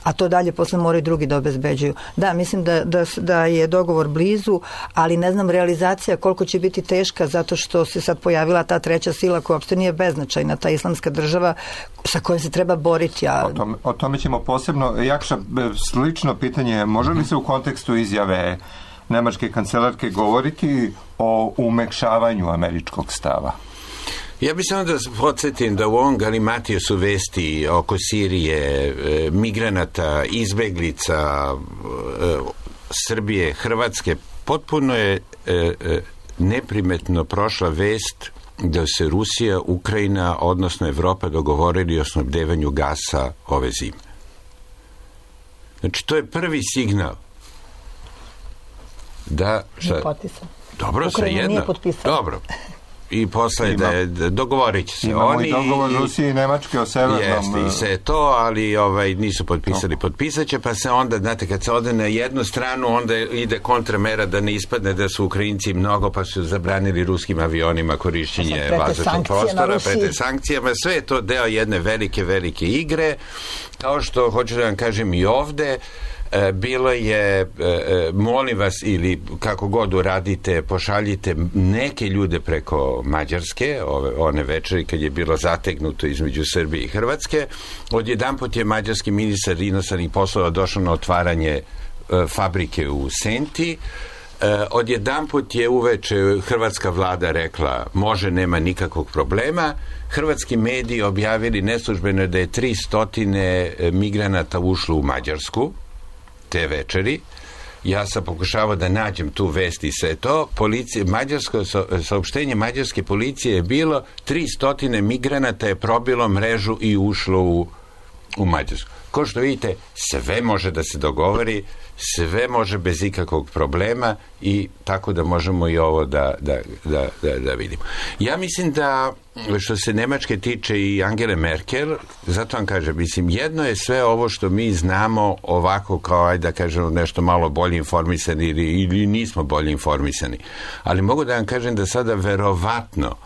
[SPEAKER 11] A to dalje posle moraju drugi da obezbeđuju. Da, mislim da, da, da je dogovor blizu, ali ne znam realizacija koliko će biti teška zato što se sad pojavila ta treća sila koja uopšte nije beznačajna, ta islamska država sa kojom se treba boriti. A...
[SPEAKER 2] O, tome, o tome ćemo posebno. Jakša, slično pitanje, može li se u kontekstu izjave nemačke kancelarke govoriti o umekšavanju američkog stava?
[SPEAKER 12] Ja bih samo da podsjetim da u ovom galimatiju su vesti oko Sirije, migranata, izbeglica, Srbije, Hrvatske. Potpuno je neprimetno prošla vest da se Rusija, Ukrajina, odnosno Evropa dogovorili o snabdevanju gasa ove zime. Znači, to je prvi signal da... Šta, dobro, svejedno. Dobro. I posle da je, dogovorit će se.
[SPEAKER 2] Imamo
[SPEAKER 12] oni,
[SPEAKER 2] i dogovor Rusije i Nemačke o severnom...
[SPEAKER 12] Jeste, i sve to, ali ovaj, nisu potpisali. No. Potpisat će, pa se onda, znate, kad se ode na jednu stranu, onda ide kontramera da ne ispadne da su Ukrajinci mnogo, pa su zabranili ruskim avionima korišćenje vazdušnog prostora, prete sankcijama. Sve je to deo jedne velike, velike igre. Kao što, hoću da vam kažem i ovde, bilo je, molim vas, ili kako god uradite, pošaljite neke ljude preko Mađarske, ove, one večeri kad je bilo zategnuto između Srbije i Hrvatske. Odjedanput je mađarski ministar inostranih poslova došao na otvaranje fabrike u Senti. odjedanput je uveče hrvatska vlada rekla može, nema nikakvog problema. Hrvatski mediji objavili neslužbeno da je tri stotine migranata ušlo u Mađarsku te večeri. Ja sam pokušavao da nađem tu vest i sve to. Policija, mađarsko, saopštenje mađarske policije je bilo tri stotine migranata je probilo mrežu i ušlo u, u Mađarsku. Ko što vidite, sve može da se dogovori, sve može bez ikakvog problema i tako da možemo i ovo da, da, da, da, da vidimo. Ja mislim da što se Nemačke tiče i Angele Merkel, zato vam kažem, mislim, jedno je sve ovo što mi znamo ovako kao, ajde da kažemo, nešto malo bolje informisani ili, ili nismo bolje informisani. Ali mogu da vam kažem da sada verovatno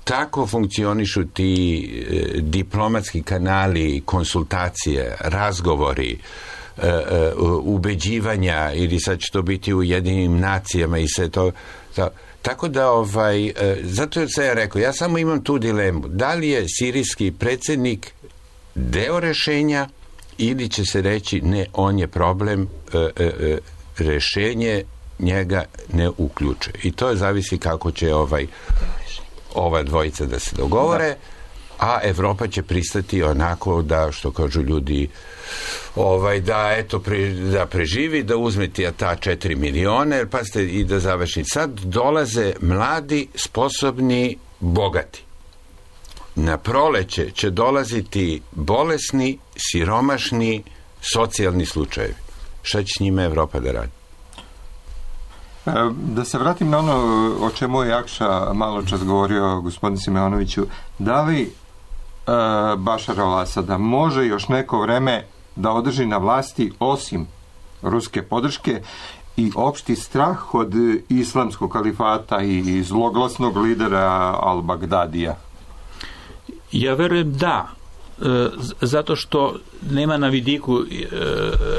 [SPEAKER 12] tako funkcionišu ti e, diplomatski kanali, konsultacije, razgovori, e, e, ubeđivanja, ili sad će to biti u Ujedinjenim nacijama i sve to. to. Tako da, ovaj, e, zato je se ja rekao, ja samo imam tu dilemu. Da li je sirijski predsjednik deo rešenja ili će se reći ne, on je problem, e, e, rešenje njega ne uključuje. I to zavisi kako će ovaj ova dvojica da se dogovore, a Evropa će pristati onako da, što kažu ljudi, ovaj, da eto pre, da preživi, da uzme ti ta četiri miliona, jer pazite, i da završi. Sad dolaze mladi, sposobni, bogati. Na proleće će dolaziti bolesni, siromašni, socijalni slučajevi. Šta će s njima Evropa da radi?
[SPEAKER 2] Da se vratim na ono o čemu je Jakša malo čas govorio, gospodin Simeonoviću, da li e, Bašar al-Asada može još neko vreme da održi na vlasti osim ruske podrške i opšti strah od islamskog kalifata i zloglasnog lidera al-Bagdadija?
[SPEAKER 10] Ja verujem da, e, zato što nema na vidiku e,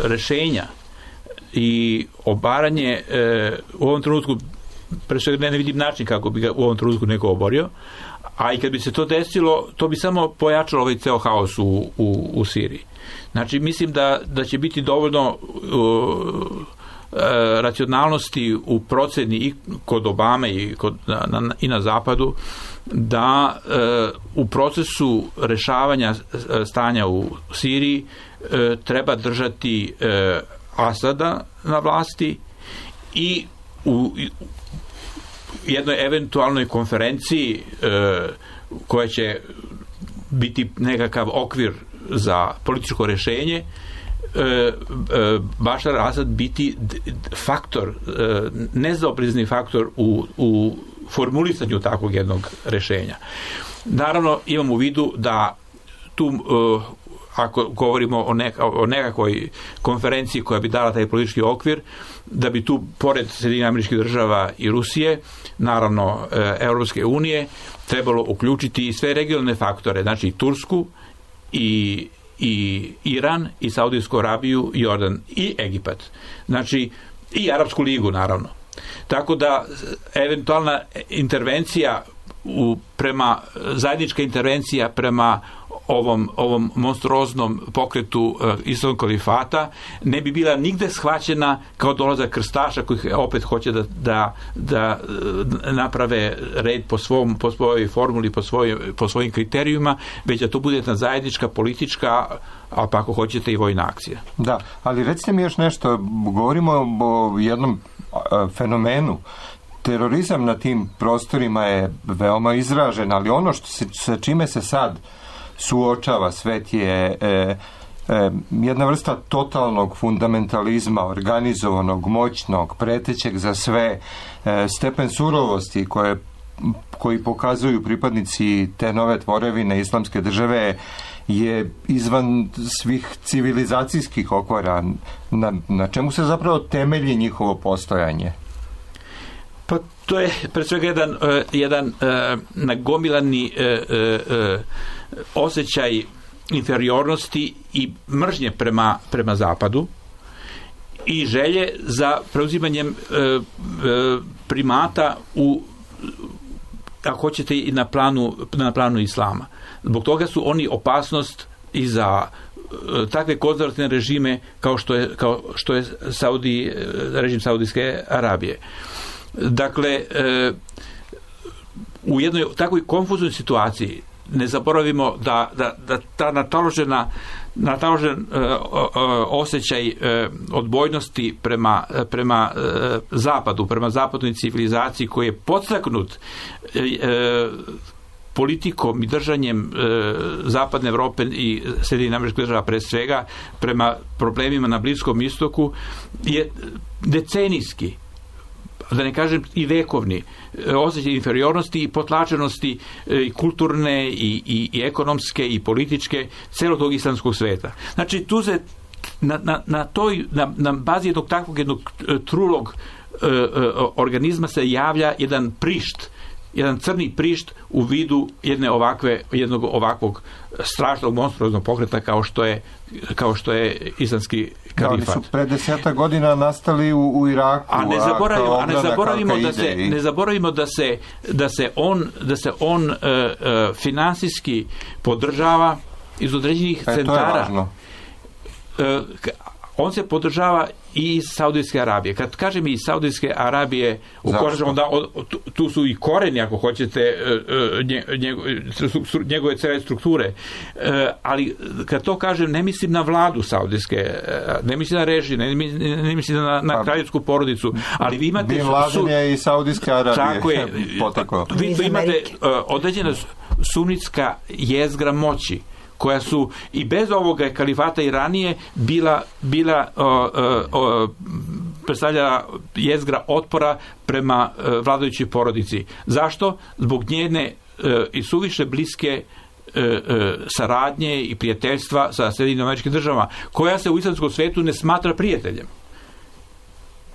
[SPEAKER 10] rešenja i obaranje e, u ovom trenutku, pre svega ne, ne vidim način kako bi ga u ovom trenutku neko oborio, a i kad bi se to desilo, to bi samo pojačalo ovaj ceo haos u, u, u Siriji. Znači, mislim da, da će biti dovoljno uh, racionalnosti u proceni i kod Obame i, kod, na, na, i na zapadu, da uh, u procesu rešavanja stanja u Siriji uh, treba držati uh, Asada na vlasti i u jednoj eventualnoj konferenciji e, koja će biti nekakav okvir za političko rešenje, e, e, Bašar Asad biti faktor, e, nezaoprezni faktor u, u formulisanju takvog jednog rešenja. Naravno, imam u vidu da tu e, ako govorimo o, neka, o nekakvoj konferenciji koja bi dala taj politički okvir, da bi tu, pored Sjedinjenih Američkih Država i Rusije, naravno e, Europske unije, trebalo uključiti i sve regionalne faktore, znači i Tursku, i, i Iran, i Saudijsku Arabiju, i Jordan, i Egipat. Znači, i Arapsku ligu, naravno. Tako da, eventualna intervencija u, prema, zajednička intervencija prema ovom, ovom monstruoznom pokretu uh, islamskog kalifata ne bi bila nigde shvaćena kao dolazak krstaša koji opet hoće da, da, da naprave red po, svom, po svojoj formuli, po, svoj, po svojim kriterijuma, već da to bude jedna zajednička politička, a pa ako hoćete i vojna akcija.
[SPEAKER 2] Da, ali recite mi još nešto, govorimo o jednom uh, fenomenu. Terorizam na tim prostorima je veoma izražen, ali ono što se, sa čime se sad suočava svet je e, e, jedna vrsta totalnog fundamentalizma, organizovanog, moćnog, pretećeg za sve, e, stepen surovosti koje, koji pokazuju pripadnici te nove tvorevine islamske države je izvan svih civilizacijskih okvara. Na, na čemu se zapravo temelji njihovo postojanje?
[SPEAKER 10] Pa to je pre svega jedan, uh, jedan uh, nagomilani uh, uh, osjećaj inferiornosti i mržnje prema, prema zapadu i želje za preuzimanjem uh, uh, primata u, ako hoćete, i na planu, na planu islama. Zbog toga su oni opasnost i za takve konzervativne režime kao što je, kao što je Saudi, režim Saudijske Arabije. Dakle, u jednoj takvoj konfuznoj situaciji ne zaboravimo da, da, da ta nataložena nataložen uh, uh, osjećaj uh, odbojnosti prema, prema uh, zapadu, prema zapadnoj civilizaciji koji je podstaknut uh, politikom i držanjem e, zapadne Evrope i Sjedinjenih Američkih Država pre svega prema problemima na Bliskom istoku je decenijski, da ne kažem i vekovni, osjećaj inferiornosti i potlačenosti i kulturne i, i, i ekonomske i političke celog tog islamskog sveta. Znači tu se na, na, na toj na, na bazi jednog takvog jednog trulog e, e, organizma se javlja jedan prišt, jedan crni prišt u vidu jedne ovakve, jednog ovakvog strašnog monstruoznog pokreta kao što je, kao što je islamski kalifat.
[SPEAKER 2] Da, oni su pre deseta godina nastali u, u Iraku.
[SPEAKER 10] A ne zaboravimo, a ne zaboravimo da se, i... ne zaboravimo da se, da se on, da se on uh, uh, finansijski podržava iz određenih
[SPEAKER 2] e,
[SPEAKER 10] centara.
[SPEAKER 2] To je važno.
[SPEAKER 10] Uh, on se podržava i iz Saudijske Arabije. Kad kažem i iz Saudijske Arabije, ukožemo da tu su i koreni, ako hoćete, njegove cele strukture. Ali kad to kažem, ne mislim na vladu Saudijske, ne mislim na režim, ne, ne mislim na, na kraljevsku porodicu, ali vi imate...
[SPEAKER 2] Bin Laden je i Saudijske Arabije.
[SPEAKER 10] Tako je. Vi tu imate određena sunitska jezgra moći, koja su i bez ovoga kalifata i ranije bila, bila o, o, predstavljala jezgra otpora prema o, vladajućoj porodici. Zašto? Zbog njene o, i suviše bliske o, o, saradnje i prijateljstva sa Sjedinjenim Američkim Državama, koja se u islamskom svetu ne smatra prijateljem.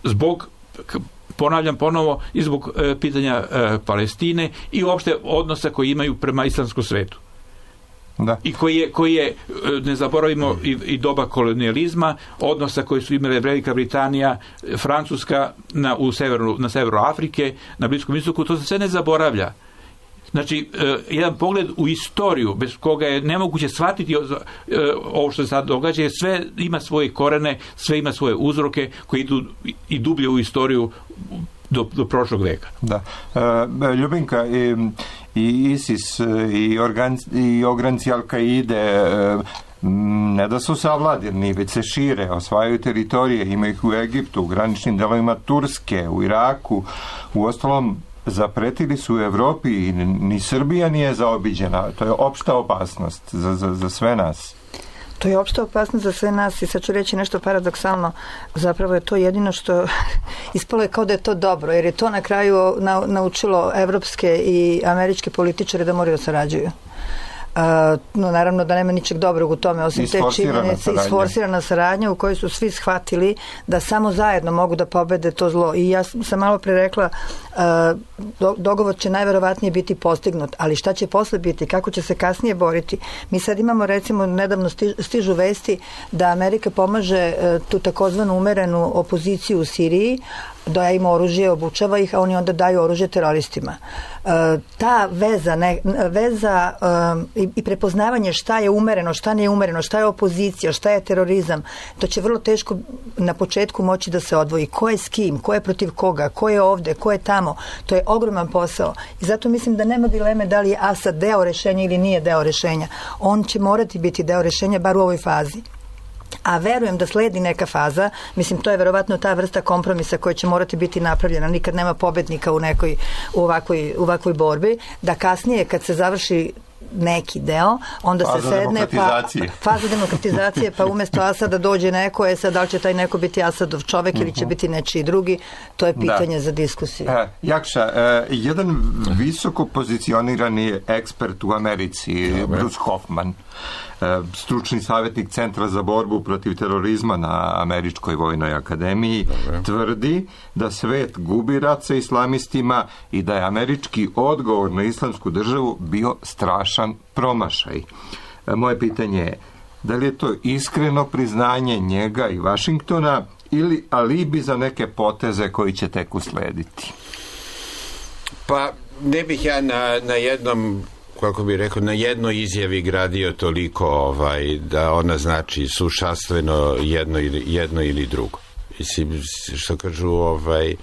[SPEAKER 10] Zbog, ponavljam ponovo, i zbog o, pitanja o, Palestine i uopšte odnosa koji imaju prema islamskom svetu.
[SPEAKER 2] Da.
[SPEAKER 10] I koji je, koji je, ne zaboravimo, i, i doba kolonijalizma, odnosa koji su imale Velika Britanija, Francuska na, u severu, na severu Afrike, na Bliskom istoku, to se sve ne zaboravlja. Znači, eh, jedan pogled u istoriju, bez koga je nemoguće shvatiti eh, ovo što se sad događa, sve ima svoje korene, sve ima svoje uzroke koji idu i dublje u istoriju do, do prošlog veka.
[SPEAKER 2] Da. E, Ljubinka, i, i ISIS i, organ, i ogranci Al-Kaide e, ne da su savladeni, već se šire, osvajaju teritorije, ima ih u Egiptu, u graničnim delovima Turske, u Iraku, u ostalom zapretili su u Evropi i ni Srbija nije zaobiđena. To je opšta opasnost za, za, za sve nas.
[SPEAKER 11] To je opšta opasnost za sve nas i sad ću reći nešto paradoksalno. Zapravo je to jedino što ispalo je kao da je to dobro, jer je to na kraju naučilo evropske i američke političare da moraju da sarađuju. Uh, no naravno da nema ničeg dobrog u tome osim te činjenice, isforsirana saradnja u kojoj su svi shvatili da samo zajedno mogu da pobede to zlo. I ja sam malo pre rekla uh, do, dogovor će najverovatnije biti postignut, ali šta će posle biti, kako će se kasnije boriti. Mi sad imamo, recimo, nedavno stižu vesti da Amerika pomaže uh, tu takozvanu umerenu opoziciju u Siriji, da ima oružje, obučava ih, a oni onda daju oružje teroristima. E, ta veza, ne, veza e, i, i prepoznavanje šta je umereno, šta nije umereno, šta je opozicija, šta je terorizam, to će vrlo teško na početku moći da se odvoji. Ko je s kim, ko je protiv koga, ko je ovde, ko je tamo. To je ogroman posao. I zato mislim da nema dileme da li je Asad deo rešenja ili nije deo rešenja. On će morati biti deo rešenja, bar u ovoj fazi. A verujem da sledi neka faza, mislim to je verovatno ta vrsta kompromisa koja će morati biti napravljena, nikad nema pobednika u nekoj u ovakvoj, u ovakvoj borbi, da kasnije kad se završi neki deo, onda
[SPEAKER 2] faza
[SPEAKER 11] se sedne pa, faza demokratizacije, pa umesto Asada dođe neko, je sad da li će taj neko biti Asadov čovek ili će biti nečiji drugi, to je pitanje da. za diskusiju.
[SPEAKER 2] E, Jakša, e, jedan visoko pozicionirani ekspert u Americi, Dobre. Bruce Hoffman, stručni savjetnik Centra za borbu protiv terorizma na Američkoj vojnoj akademiji, Dobre. tvrdi da svet gubi rat sa islamistima i da je američki odgovor na islamsku državu bio strašan promašaj. Moje pitanje je, da li je to iskreno priznanje njega i Vašingtona ili alibi za neke poteze koji će tek uslediti?
[SPEAKER 12] Pa ne bih ja na, na jednom kako bi rekao, na jednoj izjavi gradio toliko ovaj, da ona znači sušastveno jedno ili, jedno ili drugo. Mislim, što kažu, ovaj,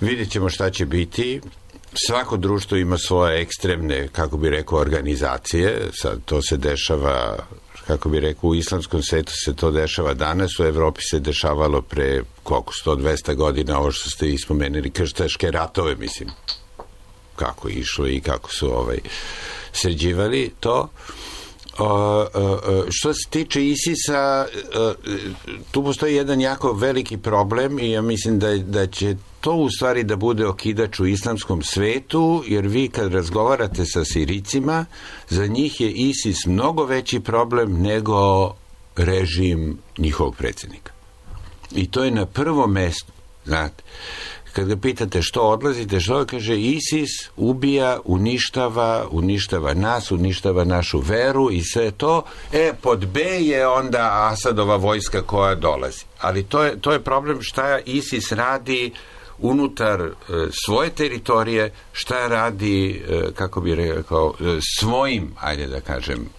[SPEAKER 12] vidjet ćemo šta će biti. Svako društvo ima svoje ekstremne, kako bi rekao, organizacije. Sad to se dešava, kako bi rekao, u islamskom svetu se to dešava danas, u Evropi se dešavalo pre koliko, sto do dvesta godina, ovo što ste ispomenuli, krstaške ratove, mislim, kako je išlo i kako su ovaj, sređivali to. O, o, o, što se tiče ISIS-a, o, tu postoji jedan jako veliki problem i ja mislim da, da će to u stvari da bude okidač u islamskom svetu, jer vi kad razgovarate sa Sirijcima, za njih je ISIS mnogo veći problem nego režim njihovog predsjednika. I to je na prvom mestu, znate. Kad ga pitate što odlazite, što kaže, ISIS ubija, uništava, uništava nas, uništava našu veru i sve to. E, pod B je onda Asadova vojska koja dolazi. Ali to je, to je problem šta ISIS radi unutar e, svoje teritorije, šta radi, e, kako bi rekao, e, svojim, ajde da kažem,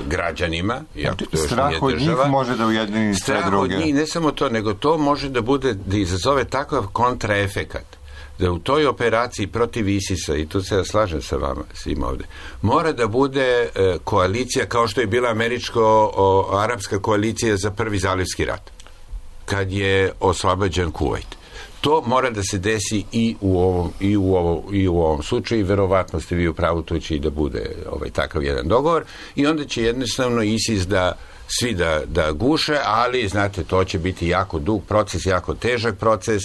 [SPEAKER 12] građanima, iako to još
[SPEAKER 2] strah
[SPEAKER 12] nije
[SPEAKER 2] od
[SPEAKER 12] država.
[SPEAKER 2] Njih može da ujedini sve
[SPEAKER 12] strah
[SPEAKER 2] druge.
[SPEAKER 12] Od njih, ne samo to, nego to može da bude, da izazove takav kontraefekat, da u toj operaciji protiv ISIS-a, i tu se ja slažem sa vama svim ovde, mora da bude e, koalicija kao što je bila američko-arapska koalicija za prvi zalivski rat, kad je oslobađan Kuvajt. To mora da se desi i u ovom, i u ovom, i u ovom slučaju i verovatno ste vi u pravu, to će i da bude ovaj, takav jedan dogovor i onda će jednostavno ISIS da svi da, da guše, ali znate, to će biti jako dug proces, jako težak proces.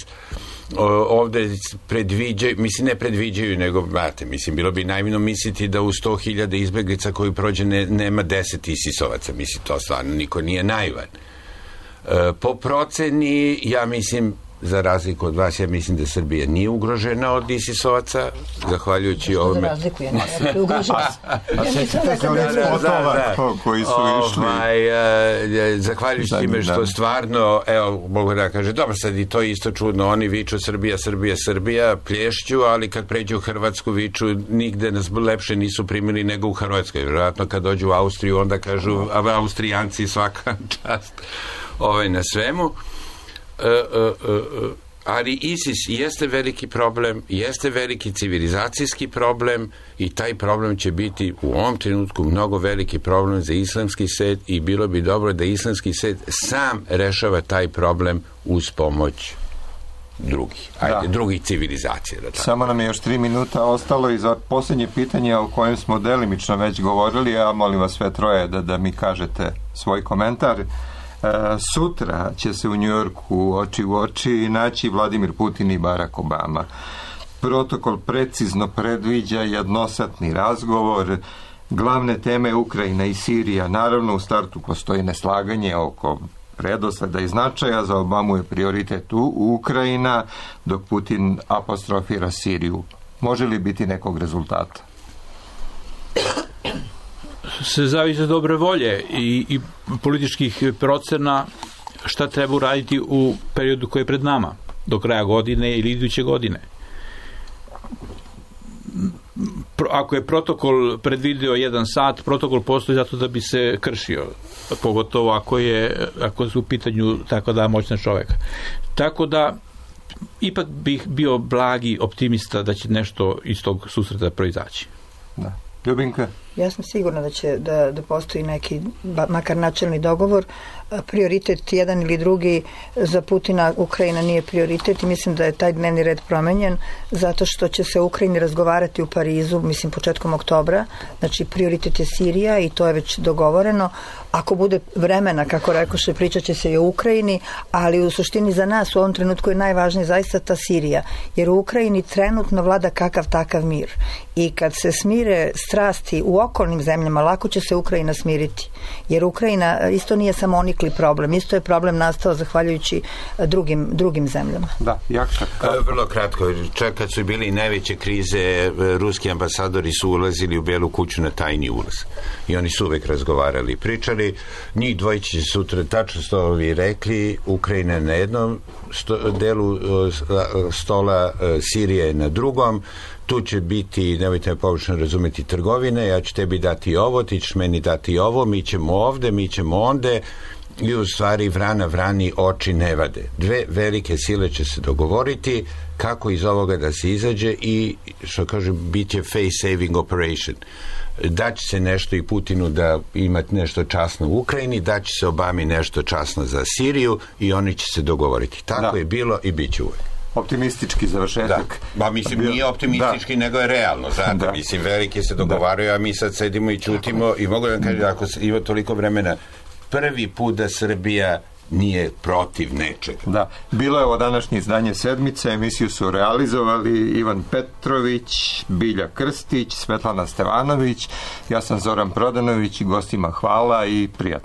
[SPEAKER 12] O, ovde predviđaju, mislim ne predviđaju, nego, znate, mislim, bilo bi najmino misliti da u sto hiljada izbeglica koji prođe ne, nema deset ISIS-ovaca, mislim, to stvarno niko nije naivan. E, po proceni, ja mislim, za razliku od vas, ja mislim da Srbija nije ugrožena od ISIS-ovaca, zahvaljujući ovome.
[SPEAKER 11] Za razliku, ja ne ugrožena.
[SPEAKER 2] A sjećate se onih spotova koji su išli.
[SPEAKER 12] Zahvaljujući time što stvarno, evo, mogu da kaže, dobro, sad i to isto čudno, oni viču Srbija, Srbija, Srbija, plješću, ali kad pređu u Hrvatsku viču, nigde nas lepše nisu primili nego u Hrvatskoj. Vjerojatno kad dođu u Austriju, onda kažu, a Austrijanci svaka čast ovaj, na svemu. Uh, uh, uh, ali ISIS jeste veliki problem, jeste veliki civilizacijski problem i taj problem će biti u ovom trenutku mnogo veliki problem za islamski svet i bilo bi dobro da islamski svet sam rešava taj problem uz pomoć drugih, ajde, drugih civilizacija. Da tako.
[SPEAKER 2] Samo nam je još tri minuta ostalo i za posljednje pitanje o kojem smo delimično već govorili, ja molim vas sve troje da, da mi kažete svoj komentar. E, sutra će se u Njujorku oči u oči naći Vladimir Putin i Barack Obama. Protokol precizno predviđa jednosatni razgovor. Glavne teme Ukrajina i Sirija. Naravno, u startu postoji neslaganje oko redosleda i značaja. Za Obamu je prioritet u Ukrajina, dok Putin apostrofira Siriju. Može li biti nekog rezultata?
[SPEAKER 10] Se zavisi od dobre volje i, i političkih procena šta treba uraditi u periodu koji je pred nama, do kraja godine ili iduće godine. Ako je protokol predvideo jedan sat, protokol postoji zato da bi se kršio, pogotovo ako je ako su u pitanju tako da moćna čoveka. Tako da ipak bih bio blagi optimista da će nešto iz tog susreta proizaći.
[SPEAKER 2] Da. Ljubinka?
[SPEAKER 11] Ja sam sigurna da će da, da postoji neki, makar načelni dogovor. Prioritet jedan ili drugi za Putina Ukrajina nije prioritet i mislim da je taj dnevni red promenjen zato što će se u Ukrajini razgovarati u Parizu, mislim početkom oktobra. Znači prioritet je Sirija i to je već dogovoreno. Ako bude vremena, kako rekoše, pričat će se i o Ukrajini, ali u suštini za nas u ovom trenutku je najvažnije zaista ta Sirija, jer u Ukrajini trenutno vlada kakav takav mir. I kad se smire strasti u okolnim zemljama, lako će se Ukrajina smiriti. Jer Ukrajina isto nije samo onikli problem, isto je problem nastao zahvaljujući drugim, drugim zemljama.
[SPEAKER 2] Da, Jakša.
[SPEAKER 12] Vrlo kratko, čak kad su bili najveće krize, ruski ambasadori su ulazili u Belu kuću na tajni ulaz. I oni su uvek razgovarali i pričali. Njih dvojići će sutra, tačno što vi rekli, Ukrajina na jednom sto, delu stola, Sirija je na drugom. tu će biti, nemojte me pogrešno razumeti, trgovine, ja ću tebi dati ovo, ti ćeš meni dati ovo, mi ćemo ovde, mi ćemo onde, i u stvari vrana vrani oči ne vade. Dve velike sile će se dogovoriti kako iz ovoga da se izađe i, što kažem, bit će face saving operation. Daće se nešto i Putinu da ima nešto časno u Ukrajini, daće se Obami nešto časno za Siriju i oni će se dogovoriti. Tako da je bilo i bit će uvek.
[SPEAKER 2] Optimistički završetak.
[SPEAKER 12] Da. Ba, mislim, nije optimistički, da. nego je realno. Znate, da. Mislim, veliki se dogovaraju, a mi sad sedimo i čutimo i mogu da vam kažem, ako ima toliko vremena, prvi put da Srbija nije protiv nečega.
[SPEAKER 2] Da, bilo je ovo današnje izdanje Sedmice, emisiju su realizovali Ivan Petrović, Bilja Krstić, Svetlana Stevanović, ja sam Zoran Prodanović i gostima hvala i prijatno.